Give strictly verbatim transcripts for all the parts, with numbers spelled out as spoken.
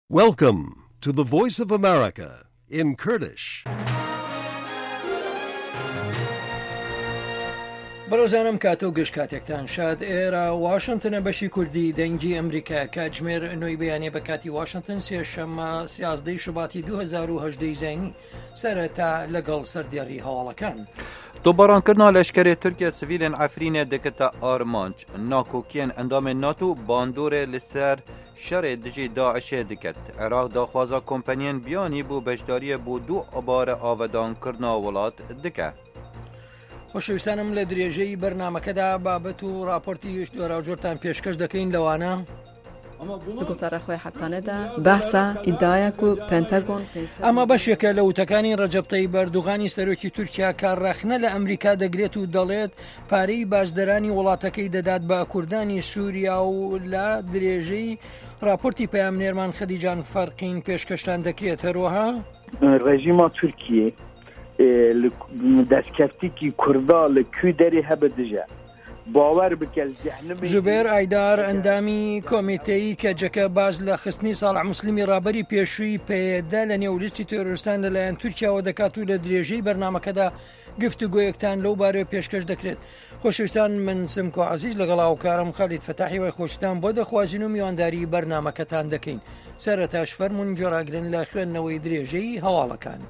Welcome to the Voice of America in Kurdish. بەڕێزانم، کاتە و گەشت کاتێکتان شاد. ئێرە واشنگتنە، بەشی کوردی دەنگی ئەمریکا. کاتژمێر نۆی بەیانێ بە کاتی واشنگتن، سێشەممە سیازدەی شوباتی دوو هەزار و هەژدە زینی. سەرەتا لەگەڵ سەردێڕی هەواڵەکان. Topbarankirina leşkerê Tirkiye sivîlên Efrînê dikete armanc. Nakokiyên endamên NATO bandorê li ser şerê dijî DAIŞê diket. Iraq daxwaza kompaniyên biyanî bo beşdariyê bo dubare avedankirina welat dike. خۆشەویستانم، لە درێژەی بەرنامەکەدا بابەت و راپۆرتی جۆراوجۆرتان پێشکەش دەکەین، لەوانە: Di gotara xwe hetanê de behsa îdiaya ku Pentagon pênc sed ئەمە بەشێکە لە وتەکانی ڕەجەب تەیب ئەردوغانی سەرۆکی تورکیا، کە ڕەخنە لە ئەمریکا دەگرێت و دەڵێت پارەی بازدەرانی وڵاتەکەی دەدات بە کوردانی سووریا و لە درێژەی راپۆرتی پەیامنێرمان خەدیجان فەرقین پێشکەشتان دەکرێت. هەروەها Rejîma Tirkiyê, e, li destkeftîkî Kurda li kû derê hebe dije. Bawer bike, li cehnimê jî زوبێر ئایدار، ئەندامی کۆمیتەی کەجەکە، باز لە خستنی ساڵح موسلیمی ڕابەری پێشووی پەیەدە لە نێو لیستی تۆرۆریستان لەلایەن تورکیاوە دەکات و لە درێژەی بەرنامەکەدا گفتوگۆیەکتان لەو بارەوە پێشکەش دەکرێت. خۆشەویستان، من سمکۆ عەزیز لەگەڵ هاوکارم خالید فەتاحی وای خۆشتان بۆ دەخوازین و میوانداری بەرنامەکەتان دەکەین. سەرەتاش فەرموون گوێڕاگرن لە خوێندنەوەی درێژەی هەواڵەکان.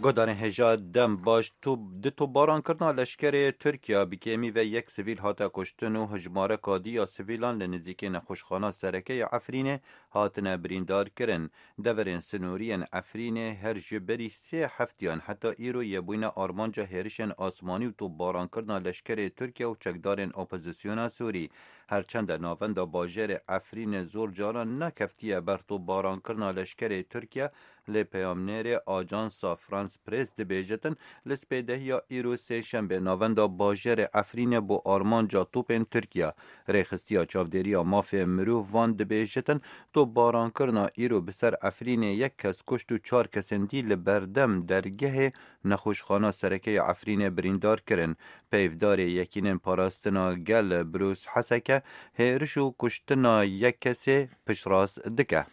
Godarên hêja dem baş, tu-, di topbarankirina leşkerê Tirkiya bi kêmî ve yek sivîl hate kuştin û hijmareka dî ya sivîlan li nizîkê nexweşxana sereke ya Efrînê hatine birîndar kirin. Deverên sinorî yên Efrînê her ji berî sê heftiyan heta îro yê bûyne armanca hêrişên asmanî û topbarankirina leşkerê Tirkiye û çekdarên opozisyona Sûrî. Her çende navenda bajarê Efrînê zor caran nekeftiye ber topbarankirina leşkerê Tirkiye, lê peyamnêrê Ajansa France Press dibêjitin, li spêdehiya îro sêşembe navenda bajarê Efrînê bo armanca topên Tirkiye. Rêxistiya çavdêriya mafê mirovan dibêjitin, topbarankirina îro bi ser Efrînê yek kes kuşt û çar kesên dî li berdem dergehê nexweşxana sereke ya Efrînê birîndar kirin. Peyvdarê Yekînên Parastina Gel Bruce Heseke hêriş û kuştina yek kesê piştrast dike.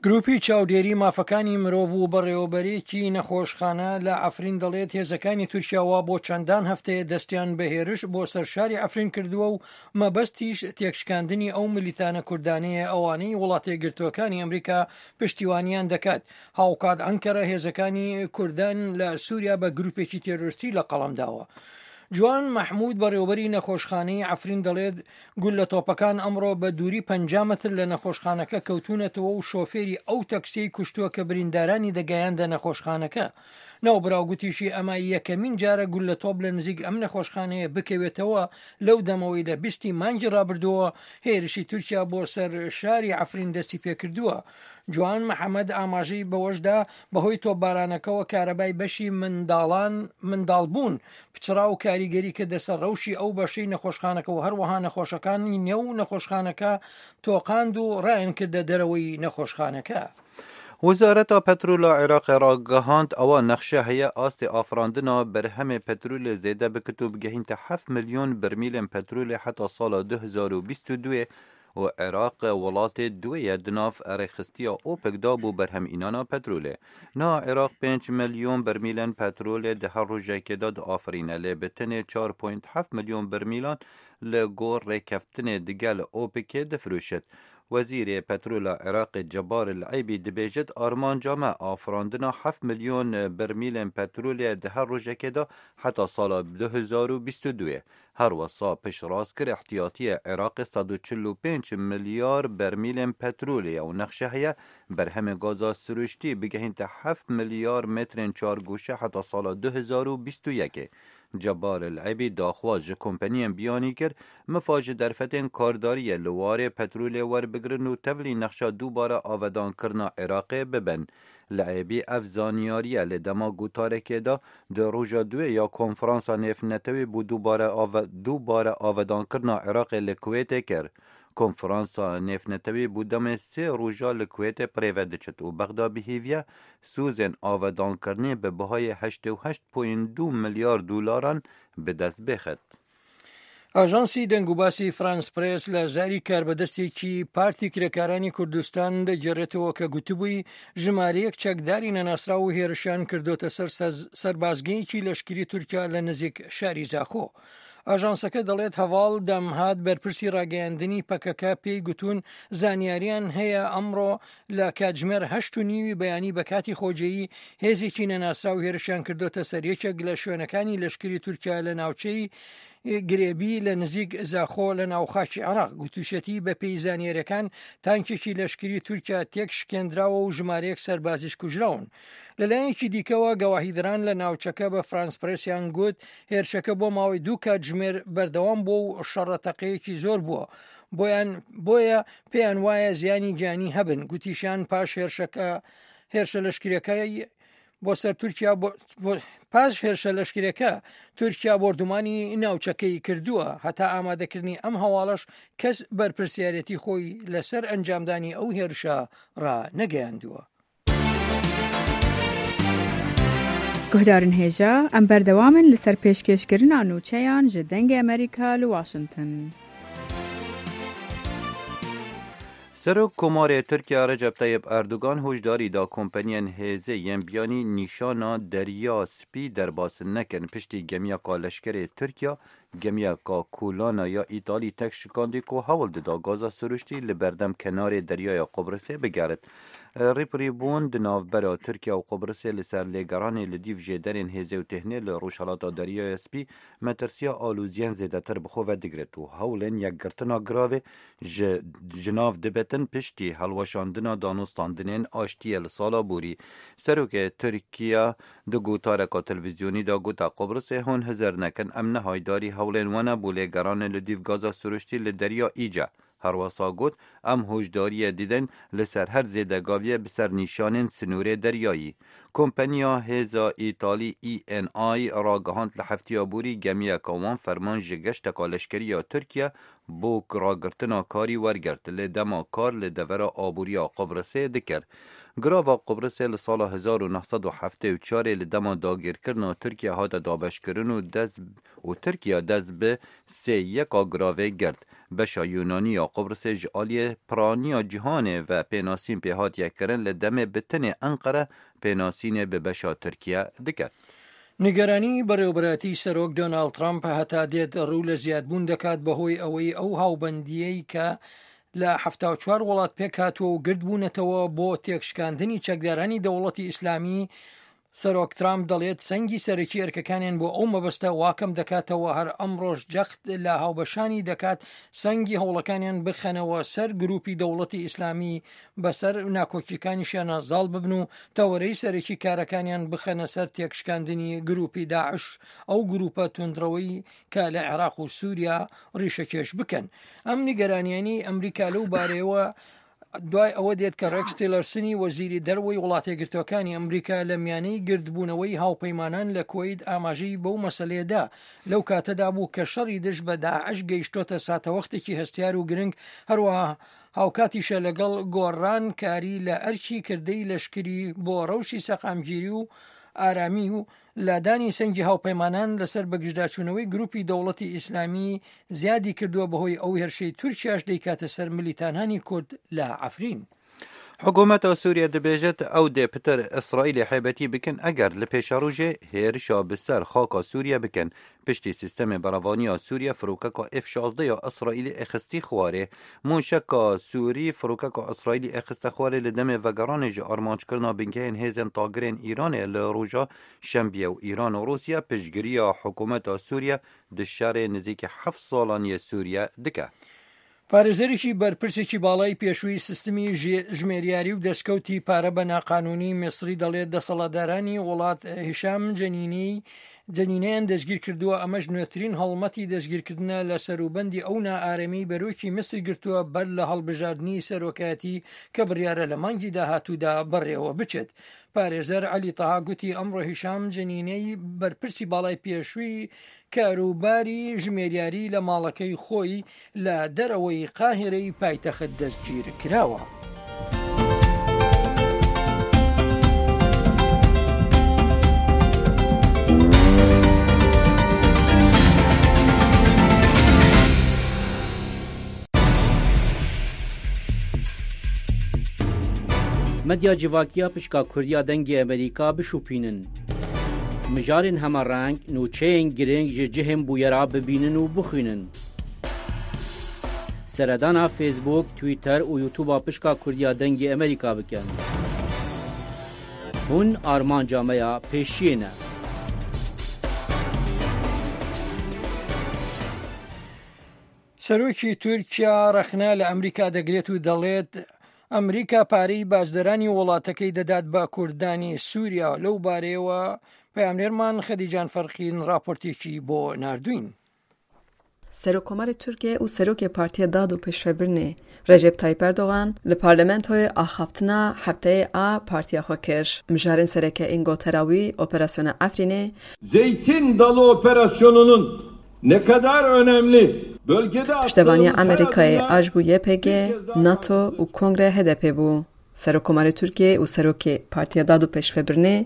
گروپی چاودێری مافەکانی مرۆڤ و بەڕێوەبەرێکی نەخۆشخانە لە عەفرین دەڵێت هێزەکانی تورکیا وا بۆ چەندان هەفتەیە دەستیان بە هێرش بۆ سەر شاری عەفرین کردووە و مەبەستیش تێکشکاندنی ئەو ملیتانە کوردانەیە ئەوانەی وڵاتە یەکگرتووەکانی ئەمریکا پشتیوانیان دەکات. هاوکات ئەنکەرە هێزەکانی کوردان لە سووریا بە گروپێکی تێرۆریستی لە قەڵەم داوە. جوان مەحموود، بەڕێوەبەری نەخۆشخانەی عەفرین، دەڵێت گوللە تۆپەکان ئەمڕۆ بە دووری پەنجا مەتر لە نەخۆشخانەکە کەوتوونەتەوە و شۆفێری ئەو تەکسیەی کوشتووە کە بریندارانی دەگەیاندە نەخۆشخانەکە. ناوبراو گوتیشی ئەمە یەکەمین جارە گوللە تۆپ لە نزیک ئەم نەخۆشخانەیە بکەوێتەوە لەو دەمەوەی لە بیستی مانگی ڕابردووە هێرشی تورکیا بۆ سەر شاری عەفرین دەستی پێکردووە. جوان محەممەد ئاماژەی بەوەشدا، بەهۆی تۆپبارانەکەوە کارەبای بەشی منداڵان، منداڵبوون پچڕا و کاریگەری کردە سەر ڕەوشی ئەو بەشەی نەخۆشخانەکە و هەروەها نەخۆشەکانی نێو نەخۆشخانەکە تۆقاند و ڕایان کردە دەرەوەی نەخۆشخانەکە. Wezareta Petrola Iraqê ragihand, ewa nexşe heye astê afirandina berhemê petrolê zêde bikit û bigehînte heft milyon bermîlên petrolê heta sala du hezar û bîst û du û Iraq welatê duwê ye di nav rêxistiya OPEC de bo berhemînana petrolê. Niha Iraq pênc milyon bermîlên petrolê di her rojekê de diafirîne, lê bi tenê çar point heft milyon bermîlan li gor rêkeftinê digel OPECê difiroşit. Wezîrê Petrola Iraqê Cebar El Eybî dibêjit, armanca me afirandina heft milyon bermîlên petrolê di her rojekê de heta sala du hezar û bîst û du ye. Her wisa piştrast kir, ihtiyatiyê Iraqê sed û çil û pênc milyar bermîlên petrolê ye û nexşe heye berhemê gaza siruştî bigehînte heft milyar metrên çargoşe heta sala du hezar û bîst û yekê. Cebar El Ebî daxwaz ji kompaniyên biyanî kir, mifa ji derfetên kardariyê li warê petrolê werbigrin û tevlî nexşa dubare avêdankirina Iraqê bibin. Li Ebî ev zanyariye li dema gotarekê de di roja duê ya Konferansa Nêvnetewî bo dubare ave-, dubare avêdankirina Iraqê li Kuwêtê kir. Konferansa Nêvnetewî bo demê sê roja li Kuwêtê bi rê ve diçit û Bexda bi hêviya sozên avêdankirinê bi bihayê heştê û heşt point du milyar dolaran bi dest bêxit. ئاژانسی دەنگوباسی فرانس پرێس لە زاری کاربەدەستێکی پارتی کرێکارانی کوردستان دەگێڕێتەوە کە گوتبووی، ژمارەیەک چەکداری نەناسراو و هێرشیان کردۆتە سەر سەز-، سەربازگەیەکی لەشکری تورکیا لە نزیک شاری زاخۆ. ئاژانسەکە دەڵێت، هەواڵ دەمهات، بەرپرسی ڕاگەیاندنی پەکەکە پێی گوتون، زانیاریان هەیە ئەمڕۆ لە کاتژمێر هەشت و نیوی بەیانی بە کاتی خۆجێیی هێزێکی نەناسراو هێرشیان کردۆتە سەر یەکێک لە شوێنەکانی لەشکری تورکیا لە ناوچەی گرێبی لە نزیک زاخۆ لە ناوخاکی عێراق. گوتوشێتی، بە پێی زانیاریەکان، تانکێکی لەشکری تورکیا تێک شکێندراوە و ژمارەیەک سەربازیش کوژراون. لەلایەکی دیکەوە، گەواهیدران لە ناوچەکە بە فرانس پرێسیان گوت، هێرشەکە بۆ ماوەی دوو کاتژمێر بەردەوام بووە و شەڕەتەقەیەکی زۆر بووە، بۆیان، بۆیە پێیان وایە زیانی گیانی هەبن. گوتیشیان، پاش هێرشەکە، هێرشە لەشکریەکەی بۆ سەر تورکیا، بۆ، بۆ، پاش هێرشە لەشکریەکە، تورکیا بۆردومانی ناوچەکەی کردووە. هەتا ئامادەکردنی ئەم هەواڵەش، کەس بەرپرسیارەتی خۆی لەسەر ئەنجامدانی ئەو هێرشە ڕا نەگەیاندووە. Guhdarên hêja, em berdewam in li ser pêşkêşkirina nûçeyan ji Dengê Amerîka li Washington. Serok Komarê Tirkiya Recep Tayyip Erdogan hojdarî da kompaniyên hêzê yên biyanî nîşana Derya Spî derbas nekin, piştî gemiyeka leşkerê Tirkiya, gemiyeka Kulana ya Îtalî tek şikandî ku hewl dida gaza siruştî li berdem kenarê Deryaya Qubrisê bigerit. Rîpirîbûn di navbera Tirkiye û Qubrisê li ser lêgeranê li dîv jêderên hêzê û têhnê li Rojhelata Deryaya Spî metirsiya aloziyên zêdetir bi xwe ve digret û hewlên yekgirtina giravê ji, ji nav dibetin piştî hilweşandina danûstandinên aştiyê li sala borî. Serokê Tirkiye di gotareka televîzyonî de gote, Qubrisê hûn hizir nekin, em ne haydarî hewlên we ne bo lêgeranê li dîv gaza siruştî li Derya Îce. Herwesa got, em hojdariyê didin li ser her zêdegaviyê bi ser nîşanên sinûrê deryayî. Kompaniya hêza Îtalî E N I ragihand li heftiya borî gemiyeka wan ferman ji geşteka leşkerî ya Tirkiye bo ragirtina karî wergirt, lê dema kar li devera aboriya Qubrisê dikir. Girava Qubrisê li sala hezar û neh sed û heftê û çarê li dema dagirkirina Tirkiye hate dabeşkirin û dest û Tirkiye dest bi sê yeka giravê girt. Beşa Yunanî ya Qubrisê ji aliyê piraniya cîhanê ve pênasîn pê hatiye kirin, li demê bi tenê Enqere pênasînê bi beşa Tirkiye diket. نیگەرانی بەڕێوەبەرایەتی سەرۆک دۆناڵد ترامپ هەتا دێت ڕوو لە زیادبوون دەکات، بەهۆی ئەوەی ئەو هاوبەندیەی کە لە حەفتا و چوار وڵات پێک هاتووە و گرد بوونەتەوە بۆ تێکشکاندنی چەکدارانی دەوڵەتی ئیسلامی. سەرۆک ترامپ دەڵێت، سەنگی سەرەکی ئەرکەکانیان بۆ ئەو مەبەستە واکەم دەکاتەوە هەر ئەمڕۆش جەخت لە هاوبەشانی دەکات، سەنگی هەوڵەکانیان بخەنەوە سەر گروپی دەوڵەتی ئیسلامی، بەسەر ناکۆکیەکانیشیانە زاڵ ببن و تەوەرەی سەرەکی کارەکانیان بخەنە سەر تێکشکاندنی گروپی داعش، ئەو گروپە توندڕەوەی کە لە عێراق و سووریا ڕیشەکێش بکەن. ئەم نیگەرانیانی ئەمریکا لەو بارەیەوە دوای ئەوە دێت کە ڕێکس تیلەرسنی وەزیری دەرەوەی وڵاتە یەکگرتووەکانی ئەمریکا لە میانەی گردبوونەوەی هاوپەیمانان لە کوەیت ئاماژەی بەو مەسەلەیەدا، لەو کاتەدا بوو کە شەڕی دژ بە داعش گەیشتۆتە ساتەوەختێکی هەستیار و گرنگ، هەروەها هاوکاتیشە لەگەڵ گۆڕان کاری لە ئەرکی کردەی لەشکری بۆ ڕەوشی سەقامگیری و ئارامی و لادانی سەنگی هاوپەیمانان لەسەر بەگژداچوونەوەی گروپی دەوڵەتی ئیسلامی زیادی کردووە، بەهۆی ئەو هێرشەی تورکیاش دەیکاتە سەر ملیتانانی کورد لە عەفرین. Hikûmeta Sûriye dibêjit, ew dê pitir Îsraîlê hêbetî bikin, eger li pêşerojê hêrişa bi ser xaka Sûriye bikin. Piştî sîstemê berevaniya Sûriye firokeka F şazdeh ya Îsraîlê êxistî xwarê. Mûşeka Sûrî firokeka Îsraîlî êxiste xwarê li demê vegeranê ji armanckirina bingehên hêzên tagirên Îranê li roja Şembiyê û Îran û Rûsya piştgiriya hikûmeta Sûriye di şerê nizîkî heft salan yê Sûriye dike. پارێزەرێکی بەرپرسێکی باڵای پێشووی سیستمی ژێ-، ژمێریاری و دەستکەوتی پارە بە ناقانونی میسری دەڵێت، دەسەڵاتدارانی وڵات هیشام جەنینی جەنینەیان دەستگیر کردووە، ئەمەش نوێترین هەڵمەتی دەستگیرکردنە لە سەروبەندی ئەو نائارەمی بەرۆکی میسر گرتووە بەر لە هەڵبژاردنی سەرۆکایەتی کە بڕیارە لە مانگی داهاتوودا بەڕێوە بچێت. پارێزەر عەلی تەها گوتی، ئەمڕۆ هیشام جەنینەی بەرپرسی باڵای پێشووی کاروباری ژمێریاری لە ماڵەکەی خۆی لە دەرەوەی قاهرەی پایتەخت دەستگیر کراوە. Medya civakî ya pişka Kurdiya Dengê Amerîka bişopînin. Mijarên hemereng, nûçeyên girîng ji cihên bûyera bibînin û bixwînin. Seredana Facebook, Twitter û YouTube-a pişka Kurdiya Dengê Amerîka bikin. Hûn armanca me ya pêşiyê ne. سەرۆکی تورکیا ڕەخنە لە ئەمریکا دەگرێت و دەڵێت ئەمریکا پارەی باجدەرانی وڵاتەکەی دەدات بە کوردانی سووریا. لەو بارەیەوە پەیامنێرمان خەدیجان فەرقین ڕاپۆرتێکی بۆ ناردوین. Serokkomarê Tirkiyê û Serokê Partiya Dad û Pêşvebirinê Recep Tayyip Erdogan li parlamentoyê axaftina hefteyê a partiya xwe kir. Mijarên sereke ên gotera wî Operasyona Efrînê, Zeytin Dalı operasyonunun ne kadar önemli, bölgede Piştevaniya attığımız her Amerîkayê adımda a ji bo Y P G, NATO û Kongreya H D P bû. Serokkomarê Tirkiyê û Serokê Partiya Dad û Pêşvebirinê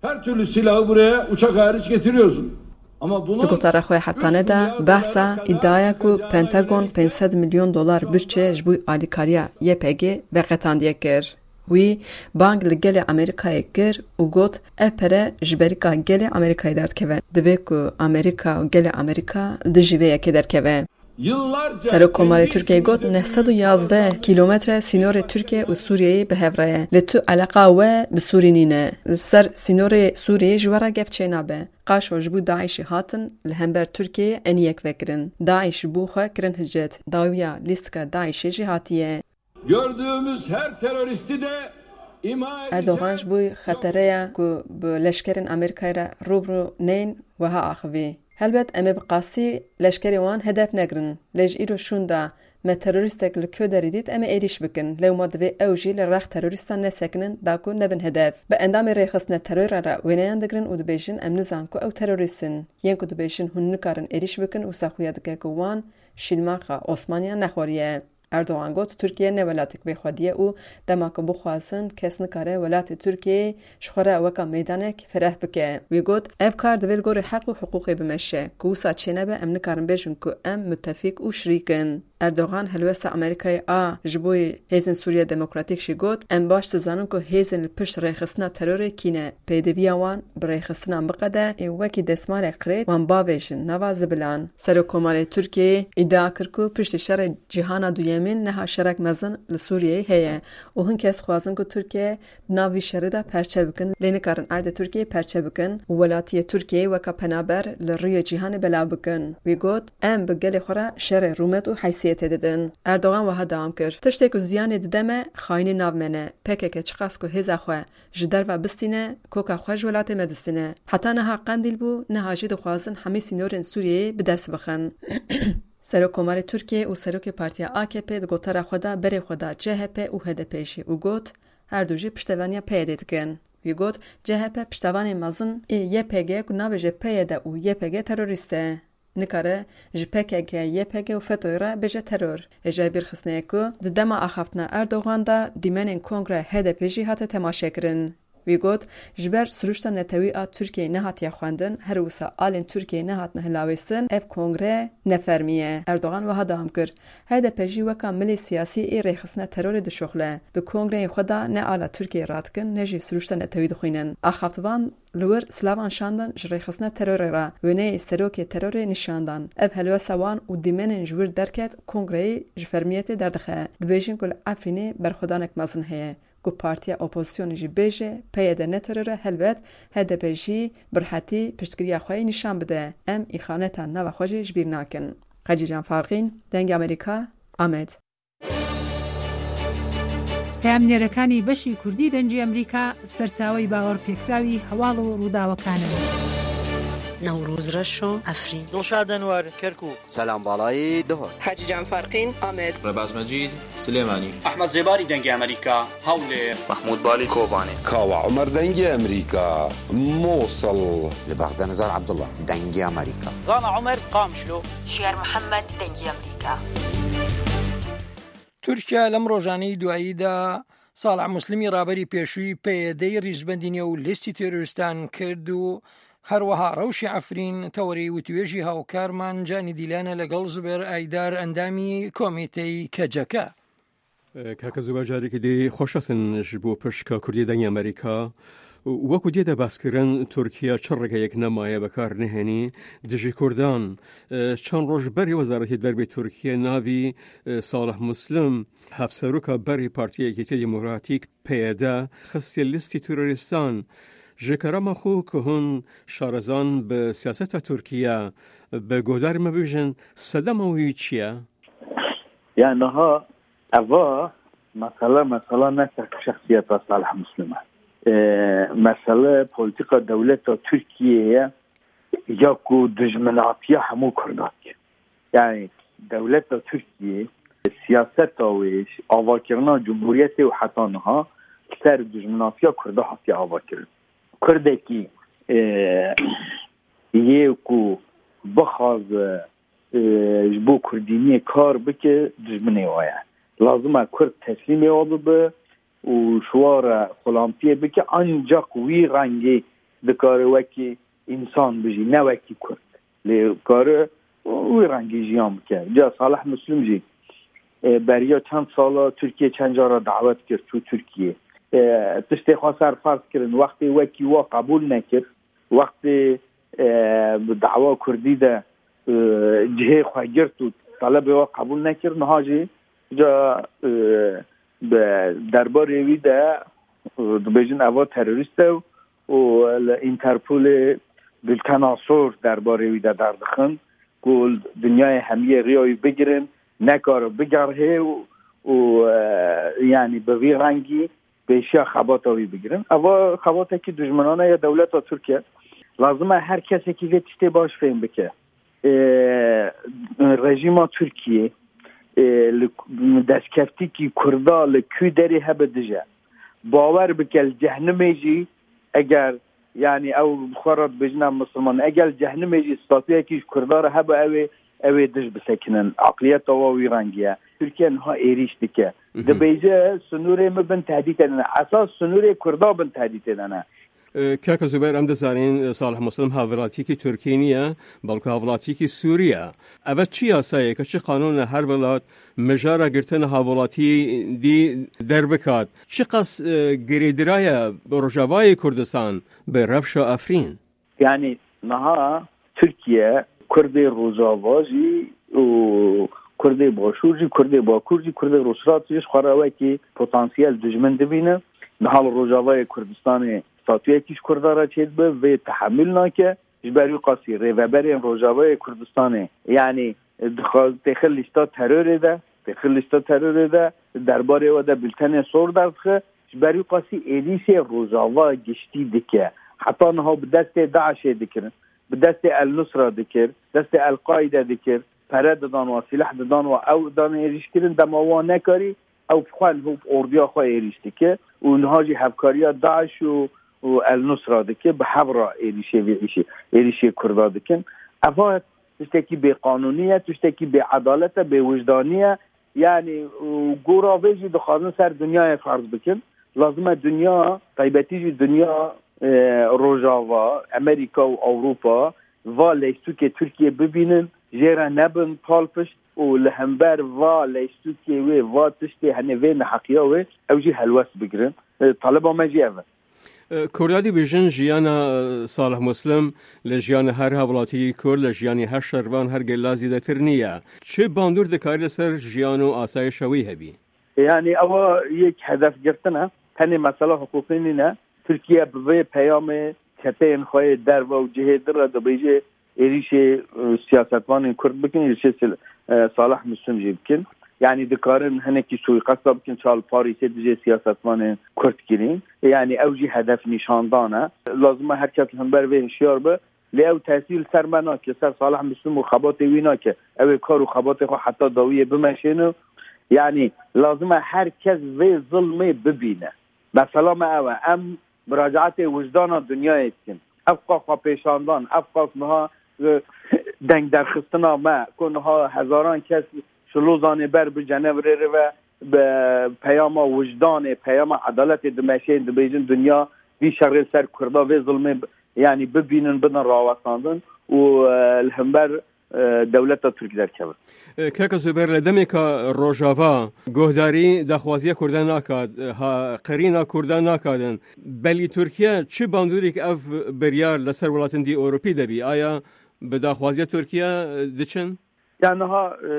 her türlü silahı buraya uçak hariç getiriyorsun. Ama bunun Di gotara xwe heftane de behsa îdiaya ku Pentagon pênc sed milyon dolar budçe ji bo alîkariya Y P G veqetandiye kir. Wî bang li gelê Amerîkayê kir û got, ev pere ji berîka gelê Amerîkayê derdikeve. Divê ku Amerîka û gelê Amerîka li dijî vê yekê derkeve. Yıllarca Serokkomarê kendi Tirkiyeyê got, içimizde neh sed û yazdeh kîlometre sînorê Tirkiye û Sûriyeyê bi hev re ye. Lê tu eleqa we bi Sûrî nîne. Li ser sînorê Sûriyê ji we re gef çênabe. Qaşo ji bo DAIŞ'ê hatin, li hember Tirkiyeyê eniyek vekirin. DAIŞ ji bo xwe kirin hicret. Dawiya lîstika DAIŞ'ê jî hatiye. Gördüğümüz her teröristi de ima Erdogan edeceğiz. Ji bo xetereya ku bi leşkerên Amerîkayê re rûbirû nên, wiha axivî. Helbet em ê bi qasî leşkerê wan hedef negirin. Lê ji îro şûnda me terorîstek li ku derî dît, em ê êrîş bikin. Lewma divê ew jî li rex terorîstan nesekinin da ku nebin hedef. Bi endamê rêxistina terorê re wêneyan digirin û dibêjin, em nizan ku ew terorîst in. Yên ku dibêjin hûn nikarin êrîş bikin, wisa xuya dike ku wan şîlmaxa Osmaniya nexwariye. Erdogan got, Tirkiye ne welatek bêxwedî ye û dema ku bixwazin, kes nikare welatê Tirkiyeyê ji xwe re weka meydanek fereh bike. Wî got, ev kar divê li gorî heq û hiqûqê bimeşe. Ku wisa çênebe, em nikarin bêjin ku em mutefîk û şirîk in. Erdogan helwesta Amerîkayê a ji bo hêzên Sûriya Demokratîk jî got, em baş dizanin ku hêzên li pişt rêxistina terorê kî ne. Pêdiviya wan bi rêxistinan biqede ê wekî destmalek qirêt wan bavêjin nava zibilan. Serokkomarê Tirkiyeyê îdia kir ku piştî şerê cîhana duyemîn niha şerek mezin li Sûriyeyê heye û hin kes dixwazin ku Tirkiye di nav vî şerê de perçe bikin, lê nikarin erdê Tirkiyeyê perçe bikin û welatiyê Tirkiyeyê weka penaber li rûyê cîhanê belav bikin. Wî got, em bi gelê xwe re şerê rûmet û heysiyetê didin. Erdogan wiha dewam kir, tiştê ku ziyanê dide me, xayînî nav me ne. P K K çiqas ku hêza xwe ji derve bistîne, koka xwe ji welatê me distîne. Heta niha Qendîl bû, niha jî dixwazin hemî sînorên Sûriyeyê bi dest bixin. Serokkomarê Tirkiyê û Serokê Partiya A K P di gotara xwe de berê xwe da C H P û H D P jî û got, her du jî piştevaniya P Y D'ê dikin. Wî got, C H P piştevanê mezin ê Y P G ku nabêje P Y D û Y P G terorîst e. Nikare ji P K K, Y P G û FETÖ'yê re bêje teror. Hêjayî bîrxistinê ye ku di dema axaftina Erdogan de dîmenên Kongre H D P jî hate temaşekirin. Wî got, ji ber sirûşta netewî a Tirkiyeyê nehatiye xwendin, her wisa alên Tirkiyeyê nehatine hilawêstin, ev kongre nefermî ye. Erdogan wiha dewam kir, H D P jî weka milê siyasî ê rêxistina terorê dişuxile. Di kongreyên xwe de ne ala Tirkiyeyê radikin, ne jî sirûşta netewî dixwînin. Axaftivan li wir silavan şandin ji rêxistina terorê re, wêneyê serokê terorê nîşan dan. Ev helwesta wan û dîmenên ji wir derket kongreyê ji fermiyetê derdixe. Dibêjin ku li Efrînê berxwedanek mezin heye, ku partiya opozisyonê jî bêje P Y D ne teror e, helbet H D P jî bi rihetî piştgiriya xwe yê nîşan bide. Em îxaneta nava xwe jî ji bîr nakin. Xecîcan Farqîn, Dengê Amerîka, Amed. پەیامنێرەکانی بەشی کوردی دەنگی ئەمریکا سەرچاوەی باوەڕپێکراوی هەواڵ و ڕووداوەکانن. نەورۆز ڕەشۆ، ئەفرین. دڵشاد ئەنوەر، کەرکووک. سەلام باڵایی، دهۆک. حاجی جان فەرقین، ئامێد. ڕێباز مەجید، سلێمانی. ئەحمەد زێباری، دەنگی ئەمریکا، هەولێر. مەحموود بالی، کۆبانێ. کاوە عومەر، دەنگی ئەمریکا، موسڵ. لە بەغدا نزار عەبدوڵڵا، دەنگی ئەمریکا. زانا عومەر، قامشلۆ. ژیار محەممەد، دەنگی ئەمریکا. تورکیا لەم ڕۆژانەی دواییدا ساڵح موسلمی ڕابەری پێشووی پەیەدەی ڕیزبەندی نێو لیستی تێرۆریستان کرد و هەروەها ڕەوشی عەفرین تەوەری وتوێژی هاوکارمان جانی دیلانە لەگەڵ زبێر ئایدار ئەندامی کۆمیتەی کەجەکە. Kaka Zûber, carekî dî xweş hatin ji bo pişka Kurdî Dengê Amerîka. Wekû dê de behs kirin, Tirkiye çi ringeyek nemaye bi kar nehênî dijî Kurdan. Çend roj berê Wezaretê Derbê Tirkiye navî Salih Muslim, hevseroka berê Partiya Yekîtiya Demokratîk, P Y D, xistiye lîstî terorîstan. Ji kerema xwe ku hûn şarezan bi siyaseta Tirkiye, bi guhdarî me bibêjin, sedema wî çi ye? Ya niha eva mesele, mesela ne tek şexsiyeta Salih Muslim e. E, mesele polîtîka dewleta Tirkiyê ye ya ku dijminatiya hemû Kurdan ye. Yani dewleta Tirkiyê, siyaseta wê, avakirina Cumhuriyetê û heta niha ser dijminatiya Kurda hatiye avakirin. Kurdekî, e, yê ku bixwaze, e, ji bo Kurdîniyê kar bike, dijminê wa ye. Lazim e Kurd teslîmê wa bibe û ji wa re xulamtiyê bike, ancak wî rengê dikare wekî însan bijî, ne wekî Kurd. Lê kare wî rengî jiyan bike. Ca Salih Muslim jî, e, beriya çend sala Tirkiye çend cara dawet kir, çû Tirkiye. E, tiştê xwe ser ferz kirin, wextê wekî wa qebûl nekir, wextê, e, bi dawa Kurdî de, e, cihê xwe girt û talebê wa qebûl nekir, niha jî ca, e, bi derbarê wî de, e, dibêjin eva terorîst e û li Interpolê bultena sor derbarê wî de derdixin ku dinyayê hemiyê riya wî bigirin, nekare bigerhê û, û, e, yanî bi vî rengî pêşiya xebata wî bigirin. Eva xebatekî dijminane ya dewleta Tirk e. Lazim e her kesekî vê tiştê baş fêm bike. E, rejîma Tirkiyê, e, li destkeftîkî Kurda li kû derê hebe dije. Bawer bike li cehnimê jî eger, yanî ew bi xwe re dibêjin em misilman, eger li cehnimê jî statuyekî ji Kurda re hebe ew ê, ew ê dij bisekinin. Aqliyeta wa wî rengî ye. Tirkiye niha êrîş dike. Mhm. Dibêje, "Sinûrê min bin tehdîtê de ne." Esas sinûrê Kurda bin tehdîtê de ne. E, Kaka Zubeyr, em dizanin, e, Salih Muslim hevwelatiyekî Tirkî niye, belku hevwelatiyekî Sûrî ye. Eve çi yasayeke, çi qanûne her welat mijara girtina hevwelatiyê dî derbikat? Çiqas, e, girêdiraye bi Rojavayê Kurdistan, bi rewşa Efrîn? Yani niha Tirkiye Kurdê Rojava jî û Kurdê Başûr jî, Kurdê Bakur jî, Kurdê Rojhilat jî ji xwe re wekî potansiyel dijmin dibîne. Niha li Rojavayê Kurdistanê statuyekî ji Kurda re çêdibe, vê tehemûl nake. Ji ber wî qasî rêveberên Rojavayê Kurdistanê, yanî dixwaz têxin lîsta terorê de, têxin lîsta terorê de, derbarê we de bultenê sor derdixe. Ji ber wî qasî êrîşê Rojava giştî dike. Heta niha bi destê DAIŞê dikirin, bi destê El Nusra dikir, destê El Qaîde dikir, pere didan wa, sîleh didan wa, ew dan êrîş kirin, dema wa nekarî, ew bi xwe niha bi orduya xwe êrîş dike û niha jî hevkariya DAIŞ û, û El Nusra dike, bi hev re êrîşê vê îşê, êrîşê Kurda dikin. Eva tiştekî bêqanûnî ye, tiştekî bêedalet e, bêwijdanî ye. Yanî, û gora vê jî dixwazin ser dinyayê ferz bikin. Lazim e dinya, taybetî jî dinya, e, Rojava, Amerîka û Ewropa va leystûkê Tirkiye bibînin, jê re nebin palpişt û li hember va leystûkê wê, va tiştê, henê vê neheqiya wê, ew jî helwest bigirin. E, taleba me jî ev e. E, Kurda dibêjin jiyana, e, Salih Muslim li jiyana her hevlatiyê Kurd, li jiyanê her şervan her gela zêdetir niye. Çi bandor dikarî li ser jiyan û asayişa wî hebî? Yani ewa yek hedef girtin e. Tenê mesela hiqûqî nîne. Tirkiye bi vê peyamê çeteyên xwe yê derve û cihê din re dibêje êrîşê, e, siyasetvanên Kurd bikin, êrîşê Sil-, e, Salih Muslim jî bikin. Yani dikarin hinekî suîqesta bikin, çal Parîsê dijê siyasetvanên Kurd kirîn. Yani ew jî hedef nîşandan e. Lazim e her kes li hember vê hişyar be. Lê ew tesîr li ser me nake, ser Salih Muslim û xebatê wî nake. Ew ê kar û xebatê xwe heta dawiyê bimeşêne. Yani lazim e her kes vê zilmê bibîne. Mesela me ew e, em muracaetê wijdana dinyayê dikin. Ev qas xwepêşandan, ev qas niha, e, dengderxistina me, ku niha hezaran kes ji Lozanê ber bi Cenevrê re ve bi peyama wijdanê, peyama edaletê dimeşên, dibêjin dinya vî şerê li ser Kurda, vê zilmê, yanî bibînin, bidin rawestandin û, e, li hember e, dewleta Tirk derkevin. E, Kaka Zuber, li demêka Rojava guhdarî daxwaziya Kurdan nakat, e, ha, qirîna Kurdan nakadin. Belî Tirkiye çi bandorîk ev biryar li ser welatên dî Ewropî de bî? Aya bi daxwaziya Tirkiye, e, diçin? Ya niha, e,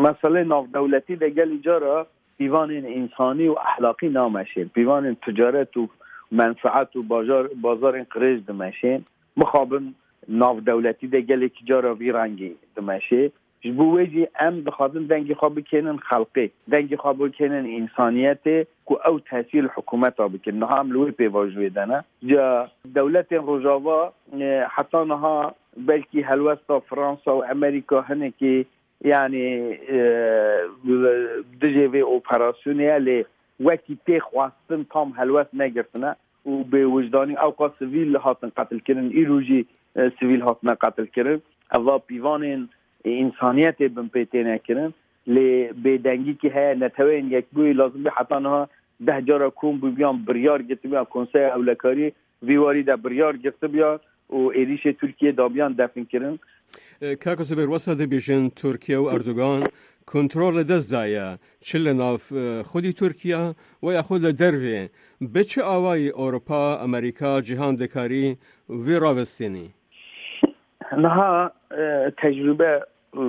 meselê navdewletî de gelî cara pîvanên însanî û ehlaqî nameşên. Pîvanên ticaret û menfeet û bajar, bazarên qirêj dimeşên. Mixabin navdewletî de gelekî cara vî rengî dimeşê. Ji bo wê jî em dixwazin dengê xwe bikênin xelqê, dengê xwe bikênin însaniyetê ku ew tesîr li hikûmeta bikin. Niha em li wê pêvajoyê de ne. Ca dewletên Rojava, e, heta niha belkî helwesta Fransa û Amerîka hinekî, yanî, e, dijê vê operasyonê ye, lê wekî tê xwestin tam helwest negirtine û bêwijdanî ewqas sivîl hatin qetilkirin, îro jî, e, sivîl hatine qetilkirin. Eva pîvanên, e, însaniyetê bin pê têne kirin. Lê bêdengîkî heye, Neteweyên Yekbûyî lazim bê heta niha deh cara kom bûbiyan, biryar girtibiyan Konseya Ewlekariyê vî warî de biryar girtibiyan û êrîşê Tirkiyê dabiyan definkirin. E, Kaka Zubêr, wesa dibêjin Tirkiye û Erdogan kontrol li dest daye, çi li nav, e, xwedî Tirkiye we ya xwe li dervê, bi çi awayî Ewropa, Amerîka, cîhan dikarî vê ravestînî? Niha, e, tecrûbe, e,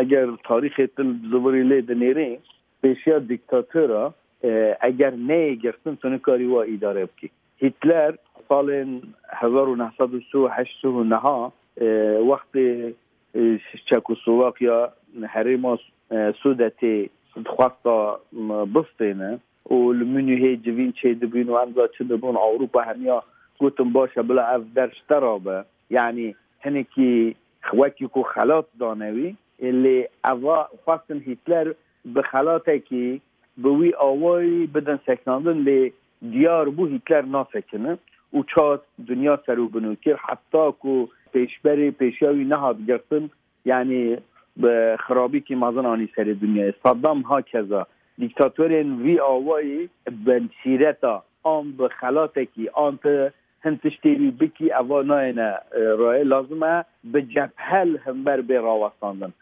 eger tarîxê tu zivirî lê dinêrî, pêşiya dîktatora, e, eger neyê girtin, tu nikarî wa îdare bikî. Hitler salên hezar û neh sed û sî û heşt û neha, e, wextê, e, Çekoslovakiya, herêma, e, Sudetê dixwesta, m, bistêne û li Munîhê civîn çêdibîn û em za çi dibûn, Ewropa hemiya gotin, baş e, bila ev der ji te rabe. Yanî hinekî wekî ku xelat dane wî, lê eva xwestin Hitler bi xelatekî, bi wî awayî bidin sekinandin, lê diyar bû Hitler nasekine û çar dinya ser û bin û kir, heta ku pêşberê pêşiya wî nehat girtin, yanî bi xirabîkî mezin anî serê dinyayê. Saddam hakeza. Dîktatorên vî awayî bi sîreta an bi xelatekî an ti hin tiştê wî bikî, eva nayêne, e, rayê. Lazim e bi cebhe li hember bê rawestandin.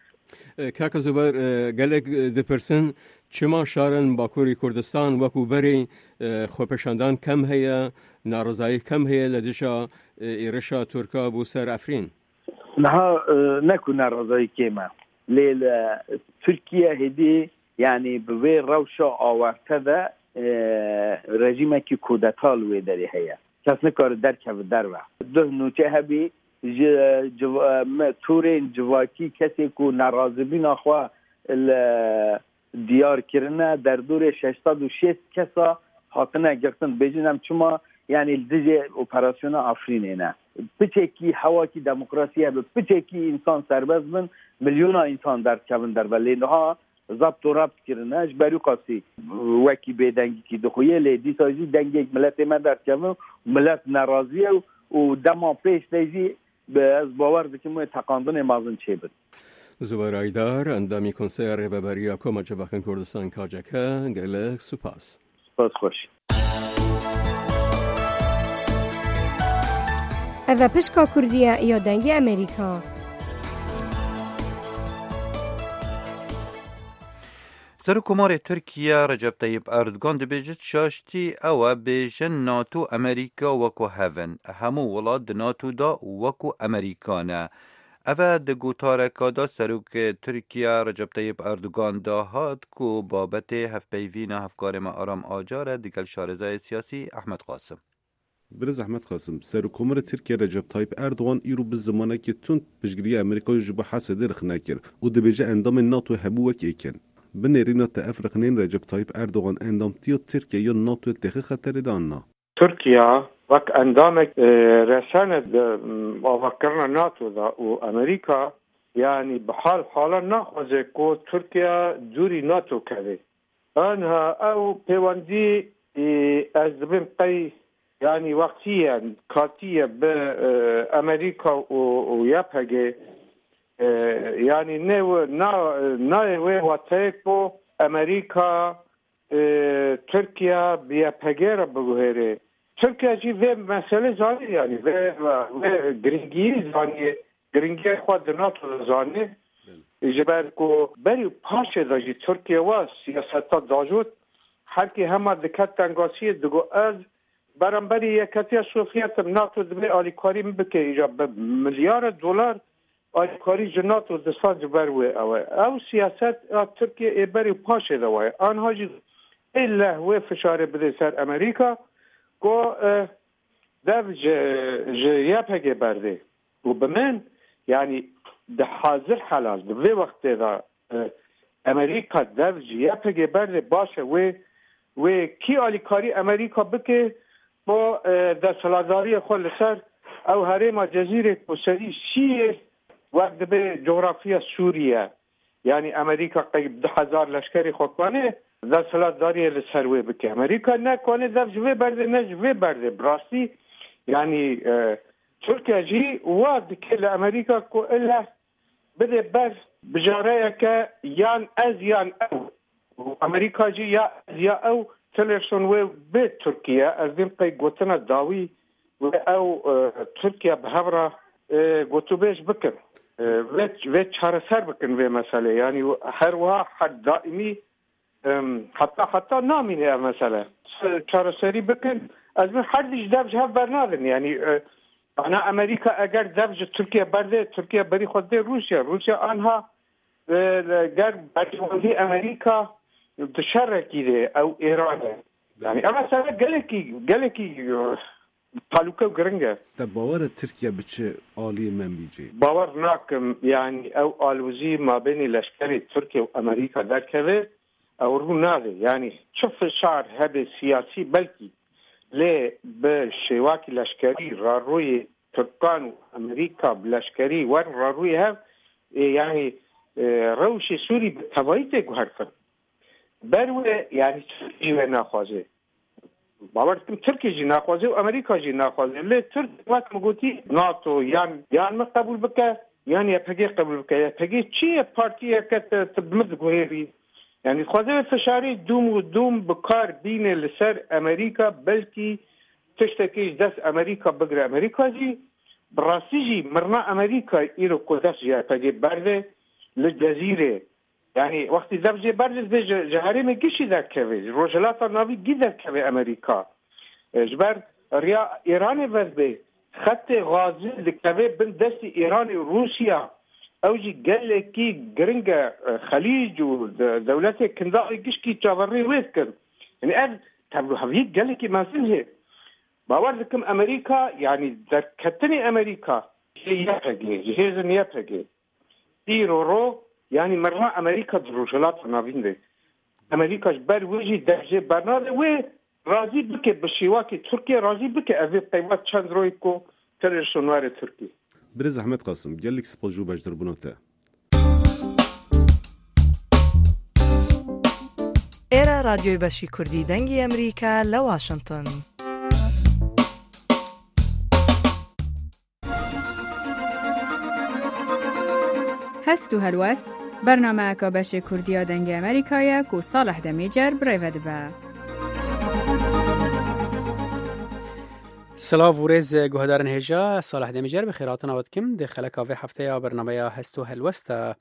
E, Kaka Zuber, e, gelek, e, dipirsin, çima şarin Bakurê Kurdistan wekû berê, e, xwepêşandan kem heye, narizayî kem heye li dija, e, êrişa Tirka bû ser Efrîn? Niha, e, ne ku nerazayî kêm e, lê li Tirkiye hêdî, yanî bi vê rewşa awarte de, e, rejîmekî kudeta li wê derê heye. Kes nikare derkeve derve. Duh nûçe hebî, ji, ji, me, tûrên civakî, kesê ku nerazîbûna xwe li diyar kirine, derdorê şeş sed û şêst kesa hatine girtin. Bêjin em çima, yanî li dijî operasyona Efrînê ne. Piçekî hewakî demokrasî hebe, piçekî însan serbest bin, milyona însan derdikevin derve. Lê niha zept û rept kirine, ji ber wî qasî wekî bêdengîkî dixuye, lê dîsa jî dengek miletê me derdikevin, milet nerazî ye û dema pêş de jî bi, ez bawer dikim wê teqandinê mezin çêbin. Zuber Aydar, endamî Konseya Rêveberiya Koma Civakên Kurdistan, K C K, gelek spas. Spas xweş. Ev e Pişka Kurdî ye ya Dengê Amerîka. Serokkomarê Tirkiye Recep Tayyip Erdogan dibêjit, şaştî ew e bêjin NATO Amerîka wekû hev in. Hemû welat di NATO de wekû Amerîka ne. Ev e di gotareka de Serokê Tirkiye Recep Tayyip Erdogan de hat ku babetê hevpeyvîna hevkarê me Aram Acar e digel şarêzayê siyasî Ehmed Qasim. Birêz Ehmed Qasim, Serokkomarê Tirkiye Recep Tayyip Erdogan îro bi zimanekî tund piştgiriya Amerîkayê ji bo Hesedê rexne kir û dibêje endamên NATO hemû wek êk in. Bi nêrîna te ev rexneyên Recep Tayyip Erdogan endamtiya Tirkiye ya NATOyê dixe xeterê de an na? Tirkiye wek endamek, e, resene di, m, avakirina NATO de û Amerîka, yanî bi hal hala naxwaze ku Tirkiye dûrî NATO keve. Anha ew pêwendî, e, ez dibêm qey, yanî wextî ye, katî ye bi, e, Amerîka û, û Y P G, e, yanî ne we, na, nayê wê wateyê ku Amerîka, e, Tirkiye bi Y P G re biguhêrê. Tirkiye jî vê meselê zanî, yanî vê, vê girîngiyî zanî. giringiya xwe di NATO de zanî. Ji ber ku berî û paşê de jî Tirkiye wa siyaseta dajot, herkê hema diket tengasiyê, digot, ez beramberî Yeketiya Sovyet im, NATO divê alîkarî min bike, îca bi milyara dolar alîkarî ji NATO disa ji ber wê ew e. Ew siyaset a Tirkiye ê berî û paşê de waye. Anha jî ê leh wê fişarê bidê ser Amerîka ku, e, dev ji, ji Y P G berdê. Û bi min, yanî di hazir helal, di vê wextê de, e, Amerîka dev ji Y P G berdê, baş e, wê, wê kî alîkarî Amerîka bike, bo, e, desthilatdariyê xwe li ser ew herêma Cezîrê ku serî şiyê wek dibe coxrafiya Sûriye. Yanî Amerîka qey du hezar leşkerê xwe kanê desthilatdariyê li ser wê bike. Amerîka ne kanê dev ji vê berdê, ne ji vê berdê. Bi rastî, yanî, e, Tirkiye jî wa dike li Amerîka ku ile bide ber bijareyeke yan ez yan ew. Û Amerîka jî ya ez ya ew, Tillerson wê bê Tirkiye, ez dîm qey gotina dawî wê ew, e, Tirkiye bi hev re, e, gotûbêj bikin. E, vê, vê çareser bikin vê meselê. Yanî her wiha her daîmî, em, heta, heta namîne ev mesele. Çareserî bikin, ez min her dî ji dev ji hev bernadin. Yanî, e, ana Amerîka eger dev ji Tirkiye berdê, Tirkiye berî xwe dê Rûsya. Rûsya anha, e, ger berjewendî Amerîka di şerekî de ew Îran e. Yanî ev mesele gelekî, gelekî, e, talûke û giring e. Te bawer e Tirkiye bi çi aliyê menbî cê? Bawer nakim, yanî ew alozî mabênê leşkerê Tirkiye û Amerîka derkeve, ew rû nade. Yanî çi fişar hebe siyasî belkî, lê bi şêwakî leşkerî raroyê Tirkan û Amerîka bi leşkerî werin raroyê hev, ê, yanî, e, rewşê Sûrî bi tevayî tê guhertin. Ber wê, yanî Tirkî jî wê naxwaze. Bawer dikim Tirkî jî naxwaze û Amerîka jî naxwaze. Lê Tirk, wek min gotî, NATO yan, yan min qebûl bike, yan Y P G qebûl bike. Y P G çi ye? Partiyeke te, te bi min diguherî. Yanî dixwaze vê fişarê dûm û dûm bi kar bîne li ser Amerîka, belkî tiştekê ji dest Amerîka bigire. Amerîka jî bi rastî jî mirina Amerîka îro ku dest ji Y P G berde li Cezîrê. Yanî wextî dev jê berdizê ji, ji herêmê gişî derkeve, ji Rojhilata Navî gî derkeve Amerîka. E, ji ber riya Îranê vedibê, xetê Xazî dikeve bin destî Îranê û Rûsya. Ew jî gelekî giring e, e, Xelîc û de-, dewletê Kindaxê gişkî çaverî wê dikin. Yanî ev tevliheviyek gelekî mezin hê. Bawer dikim Amerîka, yanî derketinê Amerîka ji Y P G, ji hêzên Y P G, îro ro, yanî mirina Amerîka di Rojhilata Navîn de. Amerîka ji ber wê jî dev jê bernade, wê razî bike bi şêwakê Tirkiye, razî bike ev ê peyva çend royê ku Tillerson were Tirkiye. Birêz Ehmed Qasim, gelek spas ji bo beşdarbûna te. Êre Radyoyê Beşî Kurdî Dengê Emerîka li Washington. Hest û Helwest, bernameyeka beşê Kurdî ya Dengê Emerîka ye ku Salih Demîcer bi rê ve dibe. Silav û rêz guhdarên hêja, Salih Demîcer bi xêrhatina we dikim. Di xeleka vê hefteya bernameya Hest û Helwest de